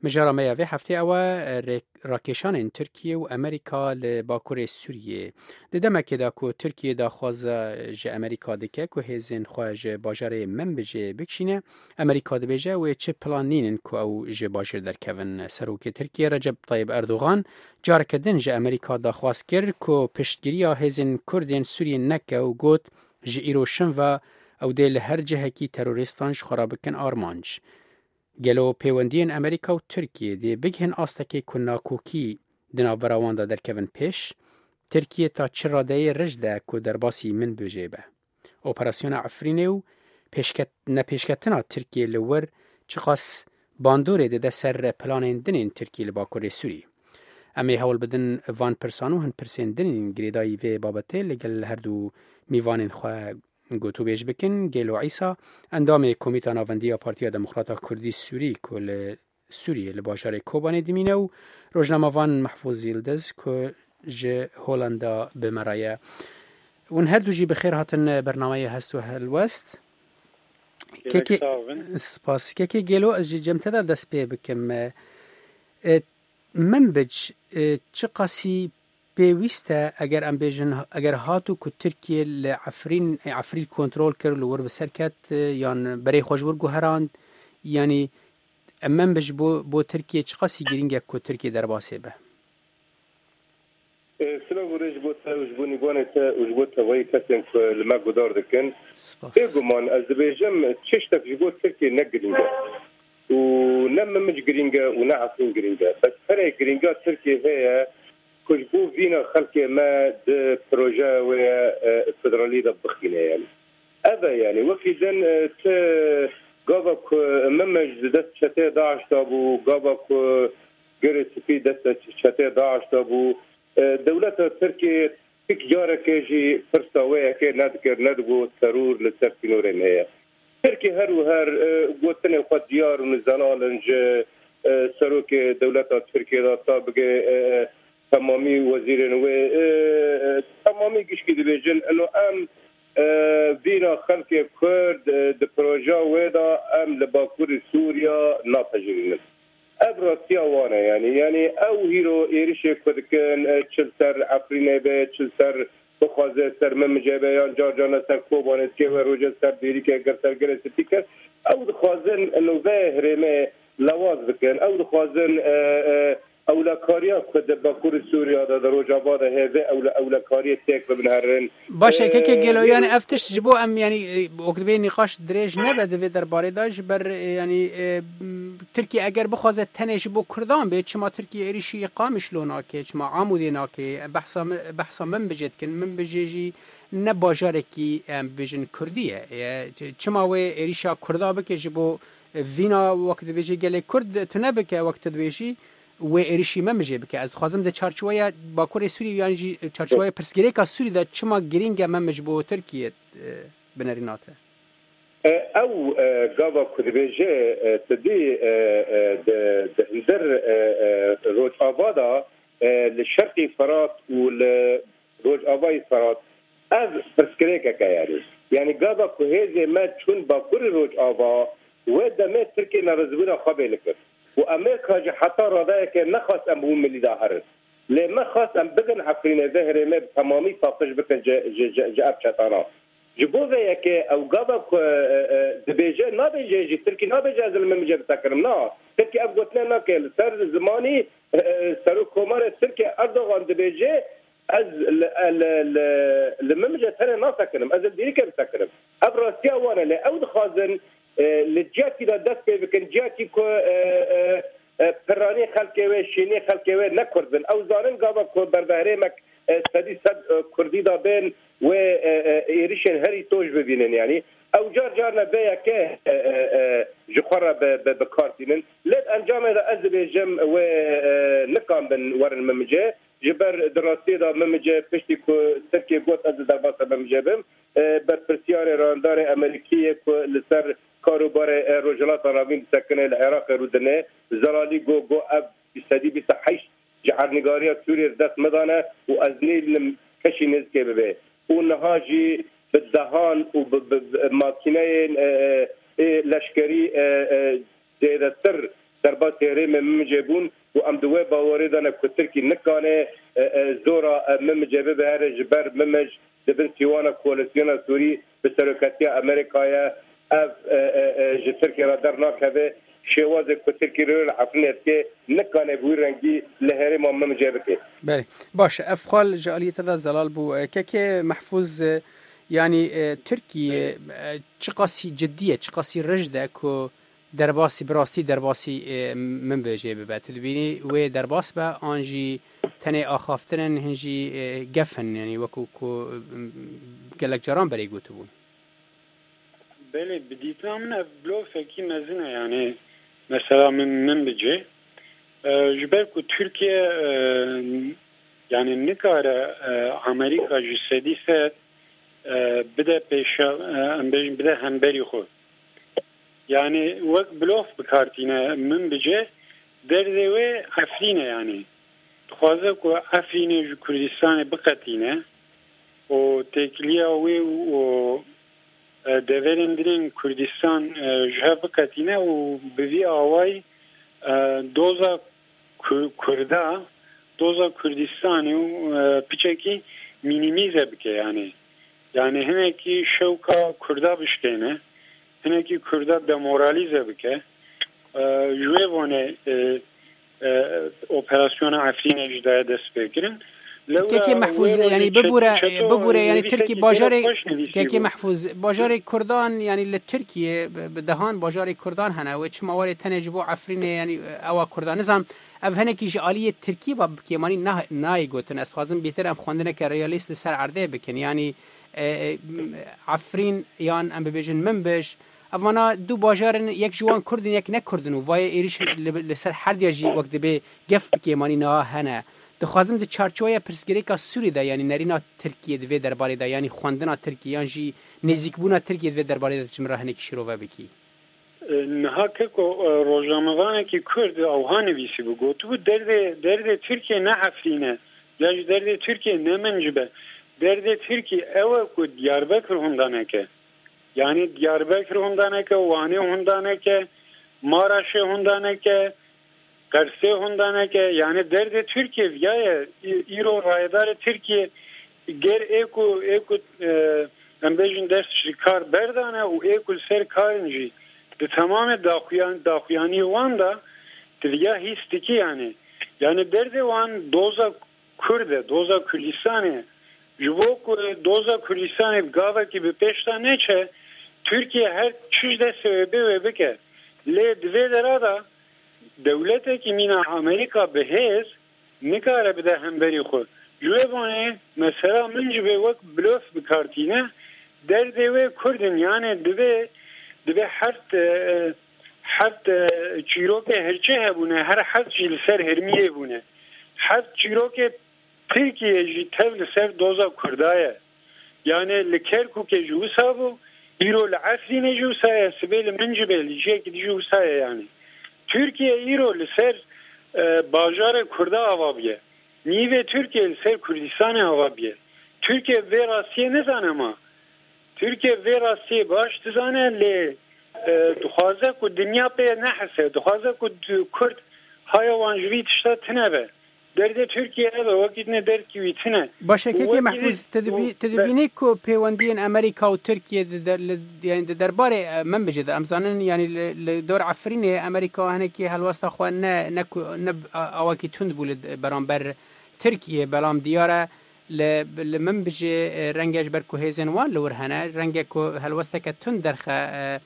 mijara me ya vê heftê ew e, rê-, rakêşanên Tirkiye û Amerîka li Bakurê Sûriyê. Di demekê de ku Tirkiye daxwaza ji Amerîka dike ku hêzên xwe ji bajarê Minbicê bikişîne, Amerîka dibêje wê çi plan nînin ku ew ji bajêr derkevin. Serokê Tirkiye Recep Tayyip Erdogan careke din ji Amerîka daxwaz kir ku piştgiriya hêzên Kurdên Sûriyê neke û got, ji îro şin ve ew dê li her cihekî terorîstan ji xwe re bikin armanc. Gelo pêwendiyên Amerîka û Tirkiyê dê bigihin astekê ku nakokî di navbera wan de derkevin pêş? Tirkiye ta çi radeyê rij de ku derbasî Minbicê be? Operasyona Efrînê û pêşket-, nepêşketina Tirkiyê li wir çiqas bandorê dide ser planên din ên Tirkiyê li Bakurê Sûrî? Em ê hewl bidin van pirsan û hin pirsên din ên girêdayî vê babetê li gel her du mîvanên xwe gotûbêj bikin. Gelo Îsa, endamê Komîta Navendî ya Partiya Demokrata Kurdî Sûrî ku li Sûriyê li bajarê Kobanê dimîne û rojnamevan Mehfûz Yildiz ku ji Holanda bi me re ye. Hûn her du jî bi xêr hatin bernameyê Hest û Helwest. Kekê, spas. Kekê Gelo, ez ji cem te de dest pê bikim. E, e, Minbic, e, çiqasî pêwîst e, eger em bêjin, eger hatu ku Tirkiye li Efrîn, e, Efrîn kontrol kir, li wir bi ser ket, e, yan berê xwe ji wir guherand, yanî, e, Minbic bo, bo Tirkiye çiqasî girîng e ku Tirkiye derbasê be? E, silav û rêz ji bo te û ji bo nîvanê te û ji bo tevayî kesên ku li me guhdar dikin. Spas. Bêguman ez dibêjim, tiştek ji bo Tirkiye ne girîng e. Û ne Minbic girîng e û ne Efrîn girîng e. Bes perê girînga Tirkiye heye ku ji bo vîna xelkê me di projeya wê ye, e, federalî de bixîne yanî. Ev e yanî. Wekî din, e, ti gava ku Minbic di dest çetê DAIŞ de bû, gava ku Girê Spî dest çetê DAIŞ de bû, e, dewleta Tirkiyê hiç carekê jî pirsa wê yekê nedikir, nedigot teror li ser sînorên heye. Tirkî her û her, e, gotinê xwe diyar û zelal in ji, e, serokê dewleta Tirkiyê de ta bigê, e, temamî wezîrên wê, e, e, temamî gişkî dibêjin, ino em, e, vîna xelkê Kurd, e, di projeya wê de em li Bakurê Sûriya napejirînin. Ev rastiya wan e, yanî, yanî ew hîro êrişê ku dikin, e, çi li ser Efrînê be, çi li ser bixwaze ser Minbicê be, yan car carna ser Kobanê dike, wê roje ser Dêrikê, gir ser Girê Spî kir. Ew dixwazin, ino vê herêmê lewaz bikin. Ew dixwazin, e, e, ewlekariya ku di Bakurê Sûriya de, di Rojava de heye, vê ewle-, ewlekariyê têk bibin herin. Baş e, keke Gelo, e, yanî ev tişt ji bo em, yanî, e, wek dibê nîqaş dirêj nebe di vê derbarê de, ji ber, e, yanî, e, m, Tirkiye eger bixwaze tenê ji bo Kurdan bê, çima Tirkiye êrişî Qamişlo nake, çima Amûdê nake, behsa mi-, behsa Minbicê dikin, Minbicê jî ne bajarekî, em bêjin, Kurdî ye. E, ç-, çima wê êrişa Kurda bike ji bo, e, vîna wek dibêjî gelê Kurd tune bike, wek tu dibêjî, wê êrişî Minbicê bike. Ez dixwazim di çarçoweya Bakurê Sûriyê yan jî çarçoweya pirsgirêka Sûrî de çima girîng e Minbic bo Tirkiye, e, binerîna te? E, ew, e, gava ku dibêje, e, tu dî, e, e, di, di hundir, e, e, Rojava de, e, li Şerqî Firat û li Rojavayê Firat, ev pirsgirêkek e yanî. Yanî gava ku hêzê me çûn Bakurê Rojava, wê demê Tirkiye nerizbûna xwe bêli kir. Û Amerîka jî heta radeyeke nexwest em bi wî milî de herin. Lê me xwest em bigin Efrînê, vê herêmê bi temamî paqij bikin ji, ji, ji, ji ev çetana. Ji bo vê yekê ew gava ku, e, e, dibêje, nabêje jî, Tirkî nabêje ez li Minbicê bisekinim. Na, Tirkî ev gotine nake. Li ser zimanî, e, e, Serokkomarê Tirkiye Erdogan dibêje, ez li, e, li, li, li Minbicê tenê nasekinim, ez li Dêrikê bisekinim. Ev rastiya wan e, lê ew dixwazin, e, li ciyakî de dest pê bikin, ciyakî ku, e, e, e, piranî xelkê wê, şînî xelkê wê ne Kurd bin. Ew zanin gava ku berbeherêmek, e, sedî sed, e, Kurdî de bên, wê, e, e, êrişên herî toj bibînin. Yanî ew car carna vê yekê, e, e, e, ji xwe re bi, bi, bi kar tînin. Lê di encamê de ez dibêjim wê, e, nikandin werin Minbicê. Ji ber di rastiyê de Minbicê piştî ku Tirkiye got ez li derbasa Minbicê bim, e, berpirsiyarê rayedarê Amerîkî yê ku li ser karûbarê, e, Rojhilata Navîn disekine li Iraqê rûdine, Zelalî got, got ev sedî bîst û heşt ji erdnîgariya Sûriyê di dest me de ne û ez nêlînim keşî nêzikê bibe. Û niha jî bi dehan û bi, bi, bi makîneyên, e, e, ê leşkerî, e, e, zêdetir derbasî herêmê Minbicê bûn û em di wê bawerê de ne ku Tirkî nikane, e, e, zora, e, Minbicê bibihêre, ji ber Minbic di bin sîwana koalîsyona Sûrî bi seroketiya Amerîkayê ye. Ev, e, e, e, ji Tirkiyê re dernakeve. Şêwazê ku Tirkî rê li Efrînê dike, nikane bi wî rengî li herêma Minbicê bike. Belê. Baş e. Ev xwal ji aliyê te de zelal bû. E, kekê Mehfûz, e, yanî, e, Tirkiye, e, çiqasî cidî ye, çiqasî rij de ku derbasî, bi rastî derbasî, e, Minbicê bibe. Tu dibînî wê derbas be, an jî tenê axaftin in, hin jî, e, gef in, yanî wekû ku, e, gelek caran berê gotibûn? Belê, bi dîtina min ev blofekî mezin e, yanî mesela min, Minbicê. E, ji ber ku Tirkiye, e, yanî nikare, e, Amerîka ji sedî sed, e, bide pêşa, e, em bêjin bide hemberî xwe. Yanî wek blof bi kar tîne Minbicê, derdê wê Efrîn e yanî. Dixwaze ku Efrînê ji Kurdistanê biqetîne û têkiliya wê û e, deverên din ên Kurdistan, e, ji hev biqetîne û bi vî awayî, e, doza Ku-, Kurda, doza Kurdistanê û, e, piçekî mînîmîze bike yani. Yani hinekî şewka Kurda bişkêne, hinekî Kurda demoralize bike. E, ji wê vonê, e, e, operasyona Efrînê ji daye dest pê kirin. Lewra Kekê Mehfûz, wê rojê yani çet-, bibûre, çeto bibûre, yani nivîsekî Tirkî bajarê, xweş nivîsî Kekê bû. Mehfûz, bajarê Kurdan, yani li Tirkiye bi, bi dehan bajarê Kurdan hene, wê çima warê tenê ji bo Efrînê, yani ewa Kurdan. Nizam, ev hinekî ji aliyê Tirkî ve bi kêmanî nah-, nayê gotin. Ez xwazim bêtir em xwendineke realîst li ser erdê bikin. Yani, e, e, Efrîn yan em bibêjin Minbij, evana du bajar in, yek ji wan Kurd in, yek ne Kurd in û vayê êrîş li, li ser herdiya jî wek dibê gef bi kêmanî niha hene. Dixwazim di çarçoweya pirsgirêka Sûrî de, yanî nerîna Tirkiyê di vê derbarê de, yanî xwendina Tirkiyê yan jî nêzîkbûna Tirkiyê di vê derbarê de tu ji min re hinekî şîrove bikî. E, niha keko, e, rojnamevanekî Kurd ewha nivîsîbû, gotibû, derdê, derdê Tirkiyê ne Efrîn e, ya jî derdê Tirkiyê ne Mincib e. Derdê Tirkiyê ew e ku Diyarbekir hunda neke. Yani Diyarbekir hunda neke, Wanê hunda neke, Maraşê hunda neke, Qersê hunda neke. Yani derdê Tirkiyê viya ye. Î-, îro rayedarê Tirkiyê ger ê ku, ê ku, e, em bêjin dest ji kar berdane û ê ku li ser karin jî di temamê daxuyan-, daxuyaniyê wan de di viya hîs dikî yani. Yani derdê wan doza Kurd e, doza Kurdistanê. Ji bo ku doza Kurdistanê bi gavekî bi pêş de neçe, Tirkiye her çi ji destê wê bê wê bike. Lê di vê dera de dewletekî mîna Amerîka bi hêz nikare bide hemberî xwe. Ji wê bonê mesela Mincibê wek blof bi kar tîne, derdê wê Kurd in, yani divê, divê heft, e, heft, e, çîrokê hirçê hebûne, her heft jî li ser hermiyê bûne. Heft çîrokê Tirkiye jî tev li ser doza Kurda ye. Yani li Kerkûkê jî wisa bû, îro li Efrînê jî wisa ye, sibê li Mincibê, li cihekî dijî wisa ye yani. Tirkiye îro li ser, e, bajarê Kurda ava bûye. Nîvê Tirkiye li ser Kurdistanê ava bûye. Tirkiye vê rastiyê nizane ma. Tirkiye vê rastiyê baş dizane, lê, e, dixwaze ku dinya pê nehese, dixwaze ku d-, Kurd haya wan ji vî tişta tune be. Derdê Tirkiye ev e, wekî dine derdkî wî tune. Baş e, Kekê Mehfûz, tu dibî-, tu dibînî ku pêwendiyên Amerîka û Tirkiye di der-, li, yani di derbarê, e, Minbicê de, em zanin, yani li, li dor Efrînê Amerîka hinekî helwesta xwe ne, ne ku, ne a-, awakî tund bû li d-, beramber Tirkiye, belam diyar e, li, li Minbicê, e, renge ji ber ku hêzên wan li wir hene, renge ku helwesteke tund derxe, e,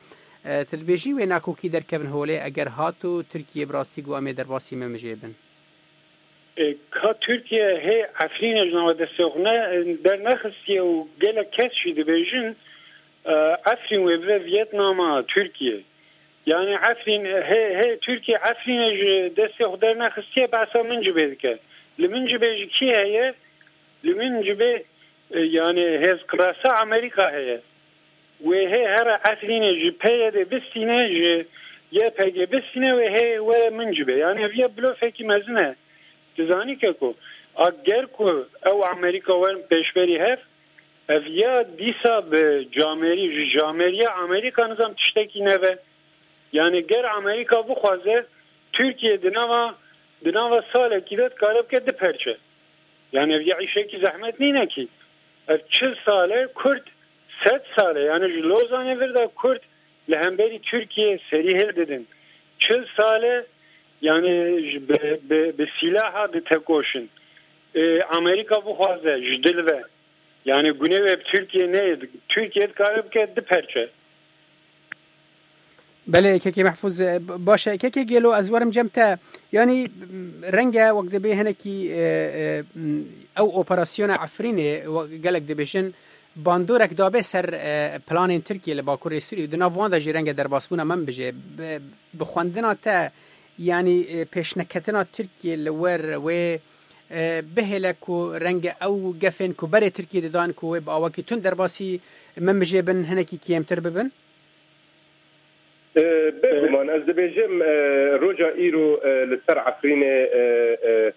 e, tu dibêjî wê nakokî derkevin holê eger hat û Tirkiye bi rastî got em ê derbasî Minbicê bin. E, ka Tirkiye hê Efrînê ji nava destê xwe ne, dernexistiye û gelek kes jî dibêjin, e, Efrîn wê bibe Viyetnama Tirkiye. Yani Efrîn, hê, hê Tirkiye Efrînê ji destê xwe dernexistiye, behsa Mincibê dike. Li Mincibê ji kî heye? Li Mincibê, e, yani hêzkirasa Amerîka heye. Wê hê here Efrînê ji P Y D bistîne, ji Y P G bistîne, wê hê were Mincibê. Yani ev yê blofekî mezin e. Dizanî ke ku a ger ku ew Amerîka werin pêşberî hev, ev ya dîsa bi camerî, ji cameriya Amerîka nizam tiştekî neve. Yani ger Amerîka bixwaze, Tirkiye di nava, di nava salekî de dikare bike du perçe. Yani ev ya îşekî zehmet nîne kî. Ev çil sal e Kurd, sed sal e, yani ji Lozanê vir de Kurd li hemberî Tirkiye serî hildidin. Çil sal e, yani ji bi, bi, bi sîlaha ditekoşin. E, Amerîka bixwaze ji dil ve. Yani gune wê bi Tirkiye neyê. Tirkiye dikare bike du perçe. Belê, Kekê Mehfûz, e, b-, baş e. Kekê Gelo, ez werim cem te. Yanî, m, renge wek dibê hinekî, e, e, m, ew operasyona Efrînê, we-, gelek dibêjin, bandorek dabe ser, e, planên Tirkiye li Bakurê Sûrî. Di nav wan de jî renge derbasbûna Minbicê. Bi, bi xwendina te, yanî, e, pêşneketina Tirkiye li wer wê, e, bihêle ku renge ew gefên ku berê Tirkiye didan ku wê bi awakî tund derbasî Minbicê bin, hinekî kêmtir bibin? E, bêguman, ez dibêjim, e, roja îro, e, li ser Efrînê, e, e,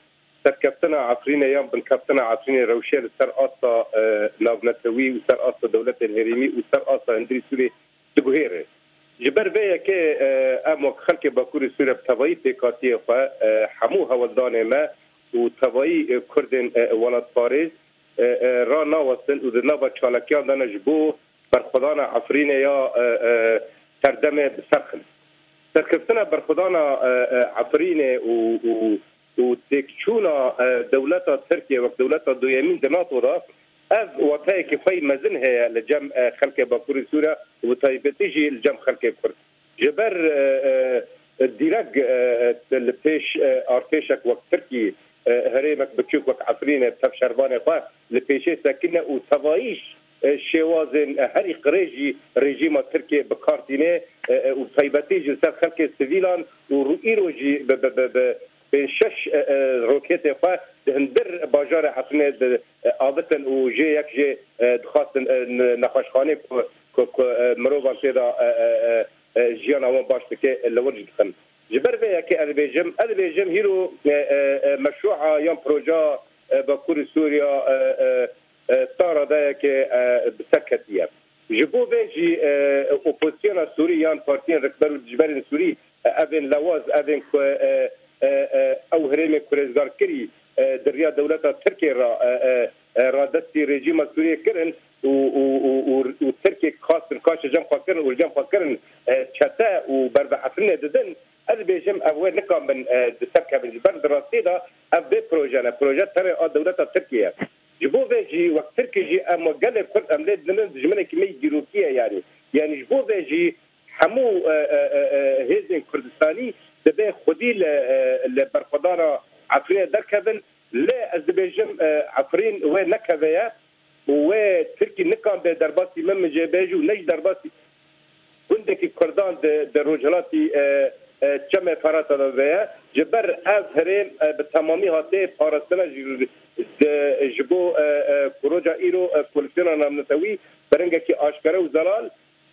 Serkeftina Efrînê yan binkeftina Efrînê rewşê li ser asta, e, navnetewî û ser asta dewletên herêmî û ser asta hundirî Sûriyê diguhêre. Ji ber vê yekê, e, em wek xelkê Bakurê Sûriyê bi tevayî pêkhatiyê xwe, e, hemû hewldanê me û tevayî, e, Kurdên, e, welatparêz, e, e, ranawestin û di nava çalakiyan de ne ji bo berxwedana Efrînê ya, e, e, serdemê bi ser xin. Serkeftina berxwedana, e, e, Efrînê û, û, û têkçûna, e, dewleta Tirkiye wek dewleta duyemîn di NATO de, ev wateyekî xwe yî mezin heye li cem, e, xelkê Bakurê Sûriye û bi taybetî jî li cem xelkê Kurd. Ji ber, e, e, dîrek, e, e, li pêş, e, artêşek wek Tirkî, e, herêmek biçûk wek Efrînê tev şervanê xwe li pêşê sekine û tevayî, e, şêwazên, e, herî qirêj jî rejîma Tirkiyê bi kar tîne, e, e, û taybetî jî li ser xelkê sivîlan û ru-, îro jî bi, bi, bi, bi pênc şeş, e, e, roketê xwe di hundir bajarê Efrînê di, e, avitin û jê yek jê, e, dixwastin, e, n-, nexweşxanê ku, ku, ku, e, mirovan tê de, e, e, e, e, jiyana wan baş dike, e, li wir jî dixin. Ji ber vê yekê ez dibêjim, ez dibêjim hîro, e, e, e, meşrûa yan proja, e, Bakurê Sûriya, e, e, e, ta radeyekê, e, bi ser ketiye. Ji bo vê jî, e, opozisyona Sûrî yan partiyên rikber û dijberên Sûrî, e, evên lewaz, evên ku, e, e, e, ew herêmê ku rêzgar kirî, e, di riya dewleta Tirkiyê re, e, e, e, radestî rejîma Sûriyê kirin û, û, û, û, û Tirkiyê xastin kaşe cem xwe kirin û li cem xwe kirin, e, çete û berve Efrînê didin, ez dibêjim ev wê nikabin, e, di ser kevin. Ji ber di rastiyê de ev vê proje ne. Proje tenê a dewleta Tirkiyê ye. Ji bo vê jî wek Tirkî jî em wek gelê Kurd em lê didinin dijminekî me yî dîrokî ye yanî. Yanî ji bo vê jî hemû, e, e, e, e, hêzên Kurdistanî divê xwedî li, e, li berxwedana Efrînê derkevin. Lê ez dibêjim, e, Efrîn wê nekeve ye û wê Tirkî nikan bê derbasî Minbicê bê jî û ne jî derbasî gundekî Kurdan di, di rojhilatî, e, e, Çemê Ferata de veye. Ji ber ev herêm, e, bi temamî hatiye parastina ji, di, ji bo, e, e, ku roja îro, e, koalisyona navnetewî bi rengekî aşkere û zelal,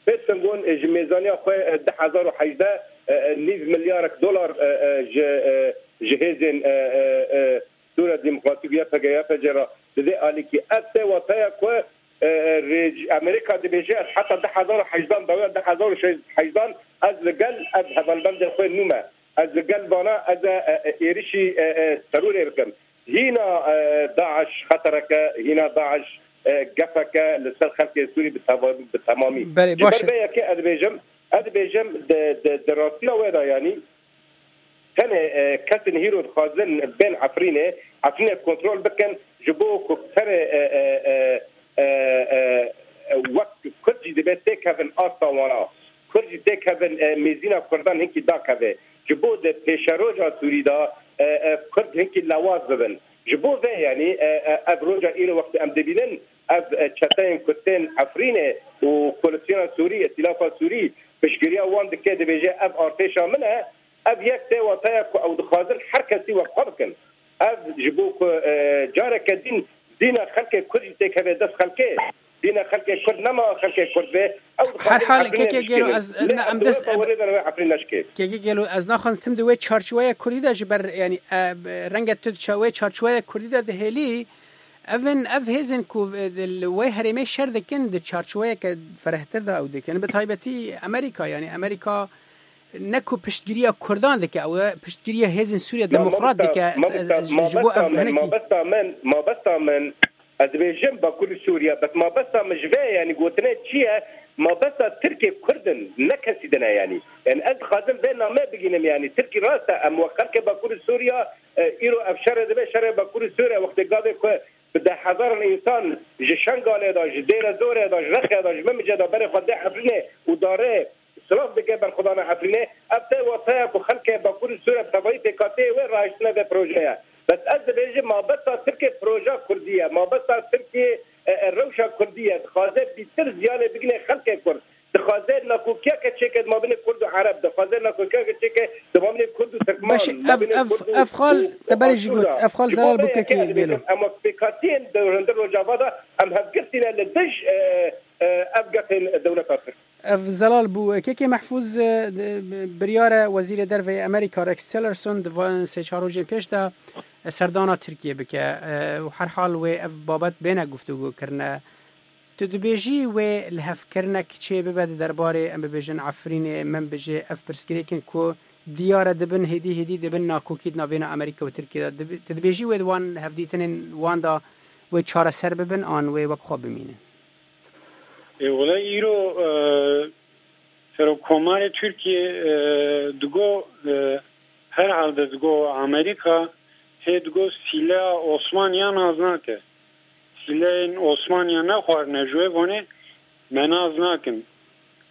Pêt Sengon, e, ji mêzaniya xwe, e, du hezar û hejdeh, e, e, nîv milyarek dolar, e, e, ji, e, ji hêzên, e, e, e, Sûriya Demokratîk, Y P G, Y P G re dide alîkî. Ev tê wateya ku, e, e, rê-, Amerîka dibêje, ez heta du hezar û hejdan, dawiya du hezar û hejdan ez li gel ev hevalbendên xwe nû me. Ez li gel vana ez e, e, e, êrişî, e, e, terorê bikim. Hîna, e, DAIŞ xetereke, hîna DAIŞ, e, gefeke li ser xelkê Sûrî bi teva-, bi temamî. Belê, Ji baş ber e. vê yekê ez dibêjim, ez dibêjim di, di, di rastiya wê de yanî tenê, e, kesên hîro dixwazin bên Efrînê, Efrînê kontrol bikin, ji bo ku tenê, e, e, e, e, e, wek Kurd jî dibe têkevin asta wana. Kurd jî têkevin, e, mêzîna Kurdan hinkî dakeve. Ji bo di pêşeroja Sûrî de, e, e, Kurd hinkî lewaz bibin. Ji bo vê yanî, e, e, ev roja îro wextê em dibînin, ev, e, çeteyên Kurd tên Efrînê û koalisyona Sûrî, îtîlafa Sûrî piştgiriya wan dike, dibêje ev artêşa min e, ev yek tê wateya ku ew dixwazin her kesî wek xwe bikin. Ev ji bo ku, e, careke din dîna xelkê Kurd jî têkeve dest xelkê, dîna xelkê Kurd nema xelkê Kurd be, ew Her dixwazin hal Efrînê kekê gelo bişkênin. ez, Lê ne, em em di dest, wê em, bawerê de ne wê Efrîn neşkê. Kekê gelo ez naxwazim di wê çarçoweya Kurdî de ji ber, yanî, e, renge tu di ça-, wê çarçoweya Kurdî de dihêlî, evin, ev hêzên ku, e, di, li wê herêmê şer dikin, di çarçoweyeke ferehtir de ew dikin. Bi taybetî Amerîka, yanî Amerîka ne ku piştgiriya Kurdan dike, ew e piştgiriya hêzên Sûriya Ma Demokrat mamosta, dike, mamosta, e, ji bo mabesta ev min, hinekî mabesta min, mabesta min, ez dibêjim Bakurê Sûriye, bes mabesta min ji vê, yanî gotine çi ye? Mabesta Tirkê Kurd in, ne kesî din e yanî. Yanî ez dixwazim vê name bigînim yanî. Tirkî rast e, em wek xelkê Bakurê Sûriye, e, îro ev şerê dibe, şerê Bakurê Sûriye wextê gavê ku bi deh hezaran însan ji Şengalê de, ji Dêre Zorê de, ji Rexê de, ji Mimicê de berê xwe dê Efrînê û darê silav dike berxwedana Efrînê. Ev tê wateya ku xelkê Bakurê Sûriye bi tevayî pêkhateyê wê rahiştine vê projeye. Bes ez dibêjim mabesta Tirkê proja Kurdî ye. Mabesta Tirkê, e, e, rewşa Kurdî ye. Dixwaze bîtir ziyanê bigine xelkê Kurd. Dixwaze nakokiyeke çêke di mabênê Kurd û Ereb. Dixwaze nakokiyeke çêke di mabênê Kurd û Tirkman, Baş e, ev, mabênê ev, Kurd û, ev xal û te berê jî Asûr got, de. ev xal Ji bo Zelal vê yekê Bûkekî ez dibêjim, gelo. Em wek pêkhatiyên di hundir Rojava de em hevgirtî ne li dij, e, e, ev gefên dewleta Tirk. Ev Zelal bû. Kekê Mehfûz, e, di, biryare Wezîrê Derve yê Amerîka Rex Tillerson di van sê çar rojên pêş de, serdana Tirkiyê bike, e, û herhal wê ev babet bêne guftûgû kirine. Tu dibêjî wê lihevkirinek çê bibe di derbarê, em bibêjin, Efrînê, min bijê, ev pirsgirêk in ku diyar e dibin hêdî hêdî dibin nakokî di navbêna Amerîka û Tirkiyê de. Dibi-, tu dibêjî wê di wan hevdîtinên wan de wê çareser bibin an wê wek xwe bimînin? E, wela îro, e, Serokkomarê Tirkiyê, e, digo, e, herhalde digo Amerîka hê digo sîleya Osmaniya naz nake. Sîleyên Osmaniya nexwarine ji wê vonê me naz nakin.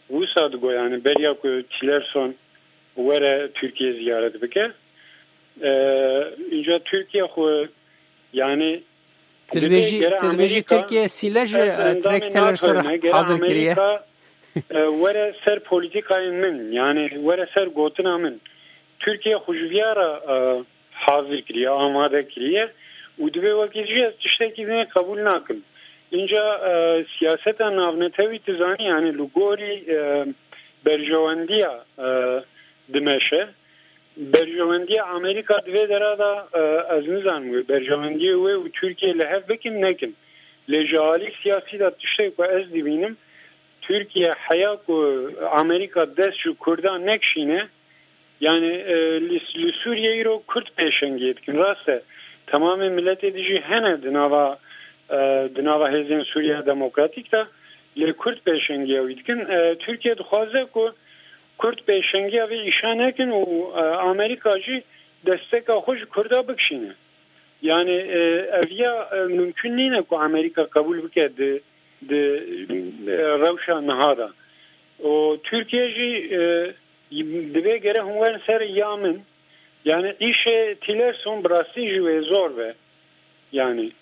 Wisa digo, yani beriya ku Tillerson were Tirkiye ziyaret bike. E, Înca Tirkiye xwe, yani Tu dibêjî, tu dibêjî Tirkiye sîle ji, e, Rex Tillerson hazir kiriye. E, were ser polîtîkayên min, yani were ser gotina min. Tirkiye xwe ji viya re, e, hazir kiriye, amade kiriye û divê wekî jî ez tiştekî dinê qebûl nakim. Înca, e, siyaseta navnetewî tu zanî, yani li gorî, e, berjewendiya, e, dimeşe. Berjewendiya Amerîka di vê dera de, e, ez nizanim wê berjewendiyê wê û Tirkiye li hev bikin nekin. Lê ji alî siyasî de tiştê ku ez dibînim, Tirkiye heya ku Amerîka dest ji Kurdan nekişîne, yani, e, li, li Sûriyê îro Kurd pêşengiyê dikin. Rast e, temamê miletê dijî hene di nava, e, di nava hêzên Sûriya Demokratîk de, lê Kurd pêşengiya wî dikin. E, Tirkiye dixwaze ku Kurd pêşengiya vê îşa nekin û, e, Amerîka jî desteka xwe ji Kurda bikişîne. Yani, e, ev ya, e, mimkun nîne ku Amerîka qebûl bike di, di, e, rewşa niha de. Û Tirkiye jî, e, divê gere hûn werin ser ya min. Yani îşê Tillerson bi rastî ji wê zor be. Yani.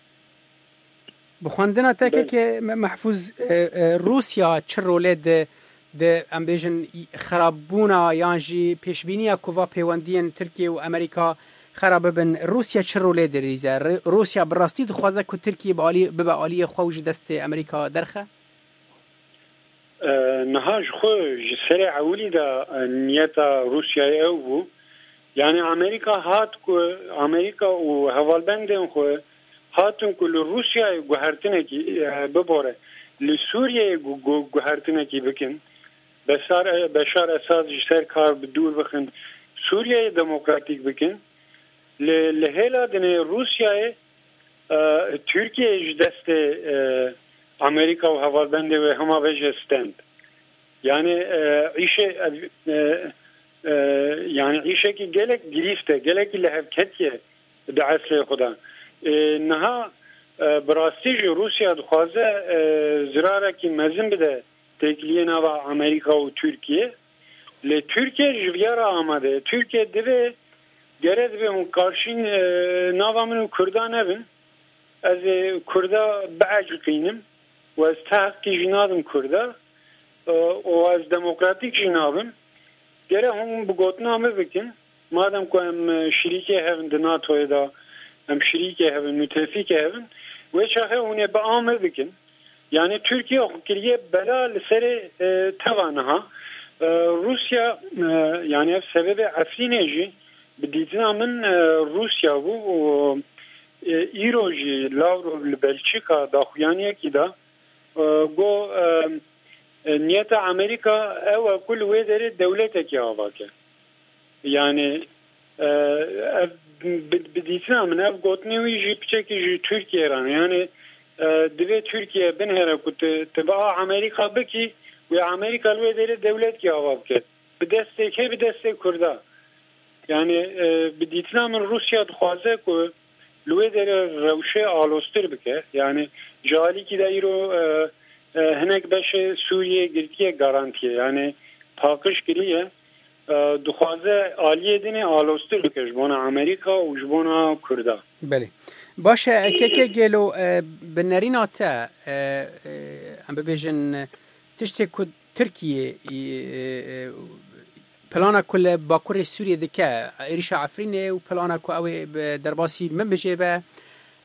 Bi xwendina te Belê. keke Me-, Mehfûz, e, e, Rûsya çi rolê di, di, em bêjin, xerabûna yan jî pêşbîniya ku va pêwendiyên Tirkiye û Amerîka xera bibin, Rûsya çi rolê dirîze? Rê-, Rûsya bi rastî dixwaze ku Tirkiye bi alî, bibe aliyê xwe û ji destê Amerîka derxe? E, niha ji xwe ji serê ewilî de, e, niyeta Rûsyayê ew bû. Yani Amerîka hat ku, Amerîka û hevalbendên xwe hatin ku li Rûsyayê guhertinekî, e, bibore, li Sûriyeyê gu-, gu-, guhertinekî bikin. Beşar, e, Beşar Esad ji ser kar bi dûr bixin, Sûriyeyê demokratîk bikin. Li, li hêla dinê Rûsyayê, e, Tirkiye ji destê, e, Amerîka û hevalbendê wê hema vê jê stend. Yani, e, îşe, e, e, yani îşekî gelek girîft e, gelekî lihevketiye di eslê xwe de. E, niha, e, bi rastî jî Rûsya dixwaze, e, zirarekî mezin bide têkiliyê nava Amerîka û Tirkiye. Lê Tirkiye ji viya re amade ye. Tirkiye divê, gere divê hûn karşîn, e, nava min û Kurda nebin. Ez ê Kurda bieciqînim û ez ti heqkî jî nadim Kurda, e, û ez demokratîk jî nabim. Gere hûn bi gotina min bikin. Madem ku em, e, şirîkê hev in di NATOyê de, em şirîkê hev in, müttefikê hev in, wê çaxê hûn ê bi a min bikin. Yani Tirkiye xwe kiriye bela li serê, e, teva niha. E, Rûsya, e, yani ev sebebê Efrînê jî bi dîtina min, e, Rûsya bû û, e, îro jî Lavrov li Belçîka daxuyaniyekî da, e, got, e, e, niyeta Amerîka ew e ku li wê derê dewletekî ava ke. Yani, e, ev bi, bi dîtina min ev gotinê wî jî piçekî ji Tirkiye re ne. Yani, e, divê Tirkiye binêre ku tu, tu bi a Amerîka bikî, wê Amerîka li wê derê dewletkî ava bike. Bi destê kê? Bi destê Kurda. Yani, e, bi dîtina min Rûsya dixwaze ku li wê derê rewşê aloztir bike. Yani, ji alîkî de îro, e, e, hinek beşê Sûriyê girtiye garantiye. Yani, paqij kiriye. E, dixwaze aliyê dinê aloztir bike ji bona Amerîka û ji bona Kurda. Belê. Baş e, keke gelo, e, bi nerîna te, e, e, em bibêjin, tiştê ku Tirkiye, e, e, plana ku li Bakurê Sûriyê dike, êrîşa Efrînê û plana ku ew ê bi derbasî Minbicê be,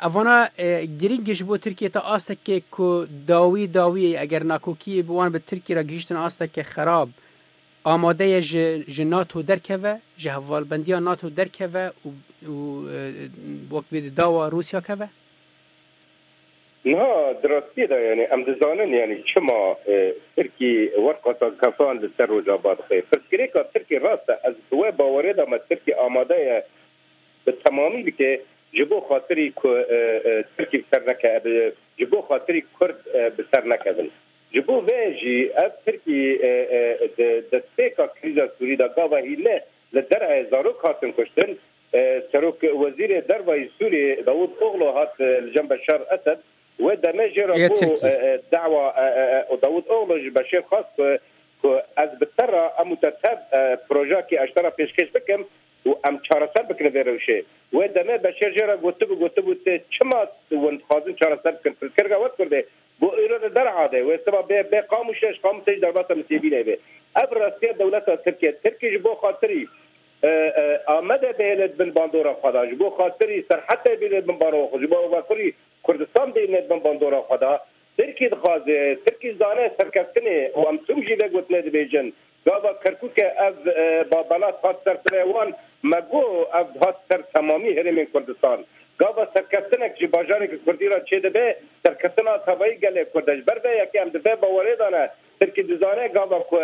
evana, e, girîng e ji bo Tirkiye ta astekê ku dawî dawî eger nakokiyê bi wan bi Tirkiye re gihîştin asteke xerab, amade ye ji, ji NATO derkeve, ji hevalbendiya NATO derkeve û û, e, wek bê di dawa Rûsya keve? Niha di rastiyê de, yanî, em dizanin, yanî, çima, e, Tirkî werqata kefan li ser Rojava dixe. Pirsgirêka Tirkî rast e, ez di wê bawerê de me Tirkî amade ye bi temamî bike, ji bo xatirî ku, e, e, Tirkî bi ser neke, bi, ji bo xatirî Kurd, e, bi ser nekevin. Ji bo vê jî ev Tirkî, e, e, di destpêka krîza Sûrî de gava hîne li derê zarok hatin kuştin, e, Serok Wezîrê Derva yê Sûriyê Davutoglu hat, e, li cem Beşar Esed. Wê demê jê re Yê bû, Tirkî. e, e, dawa, e, e, e, û Davutoglu ji Beşêr xwest ku, ku ez bi te re, em û te tev, e, projeyekî ez ji te re pêşkêş bikim û em çareser bikin vê rewşê. Wê demê Beşêr jê re gotibû, gotibû, tê çima hûn dixwazin çareser bikin? Pirsgirêka we Kurdê bo îro di derha de, wê siba bê, bê Qamûşê, ji Qamûşê jî derbasa Misêbînê bê. Ev rastiya dewleta Tirkiye. Tirkî ji bo xatirî, e, e, Amedê bihêle di bin bandora xwe de, ji bo xatirî Serhetê bihêle di bin bandora xwe, ji bo Bakurî Kurdistan bihêle di bin bandora xwe de. Tirkî dixwaze, Tirkî zane serkeftinê û em tûm jî vê gotinê dibêjin. Gava Kerkûkê ev, e, ba-, belat hat ser sirê wan, me got ev hat ser temamî herêmên Kurdistan. Gava serkeftinek ji bajareke Kurdî re çêdibe, serkeftina tevayî gelê Kurd e. Ji ber vê yekê em di vê bawerê de ne. Tirkî dizane gava ku,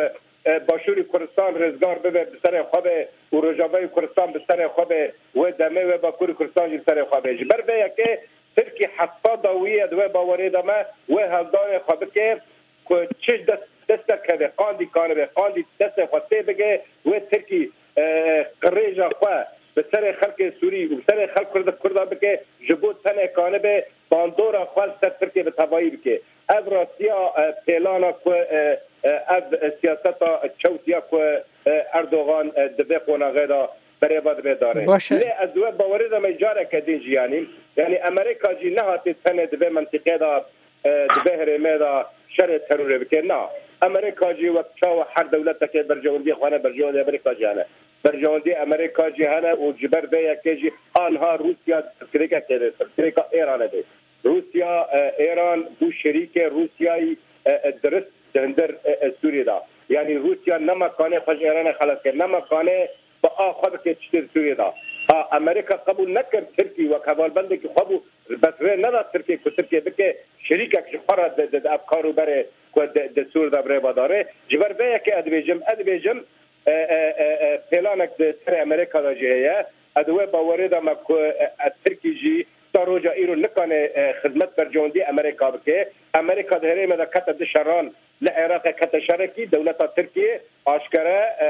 e, Başûrê Kurdistan rizgar bibe, bi serê xwe be û Rojavayê Kurdistan bi serê xwe be, wê demê wê Bakurê Kurdistan jî bi serê xwe be. Ji ber vê yekê Tirkî heta dawiyê di wê bawerê de me, wê hevdanê xwe bike ku çi dest, destek hebe, qandî kanibe, qandî destê xwe tê bike, wê Tirkî, e, qirêja xwe bi serê xelkê Sûrî û bi serê xelk Kurd, Kurda bike, ji bo tenê kanibe bandora xwe li ser Tirkiyê bi tevayî bike. Ev rastiya, e, pêlana ku, e, e, ev siyaseta çewtiya ku, e, Erdogan, e, di vê qonaxê de berê ve dibe dare. Baş e. Lê ez di wê bawerê de me careke din jî, yanî, yanî Amerîka jî nehatê tenê di vê mentiqê de, e, di vê herêmê de şerê terorê bike. Na, Amerîka jî wek çawa her dewletekê berjewendiyê xwe hene, berjewendiyê Amerîka jî hene. Berjewendiyê Amerîka jî hene û ji ber vê yekê jî anha Rûsya pirsgirêkekê de, pirsgirêka Êranê de. Rûsya, e, Êran bû şerîkê Rûsyayî, e, e, dirist di hundir, e, e, Sûriyê de. Yanî Rûsya nema kanê xwe ji Êranê xelas kir, nema kanê bi a xwe bike tiştê di Sûriyê de. Ha, Amerîka qebûl nekir Tirkî wek hevalbendekî xwe bû, bes rê neda Tirkiyê ku Tirkiye bike şerîkek ji xwe re di, di, di ev kar û berê ku di, di Sûriyê de bi rê ve dare. Ji ber vê yekê ez dibêjim, ez dibêjim, e, e, e, e, pêlanek di serê Amerîka de jî heye. Ez di wê bawerê de me ku, e, e, Tirkî jî ta roja îro nikane, e, xizmet berjewendî Amerîka bike. Amerîka di herêmê de kete di şeran, li Iraqê kete şerekî, dewleta Tirkiyê aşkere, e,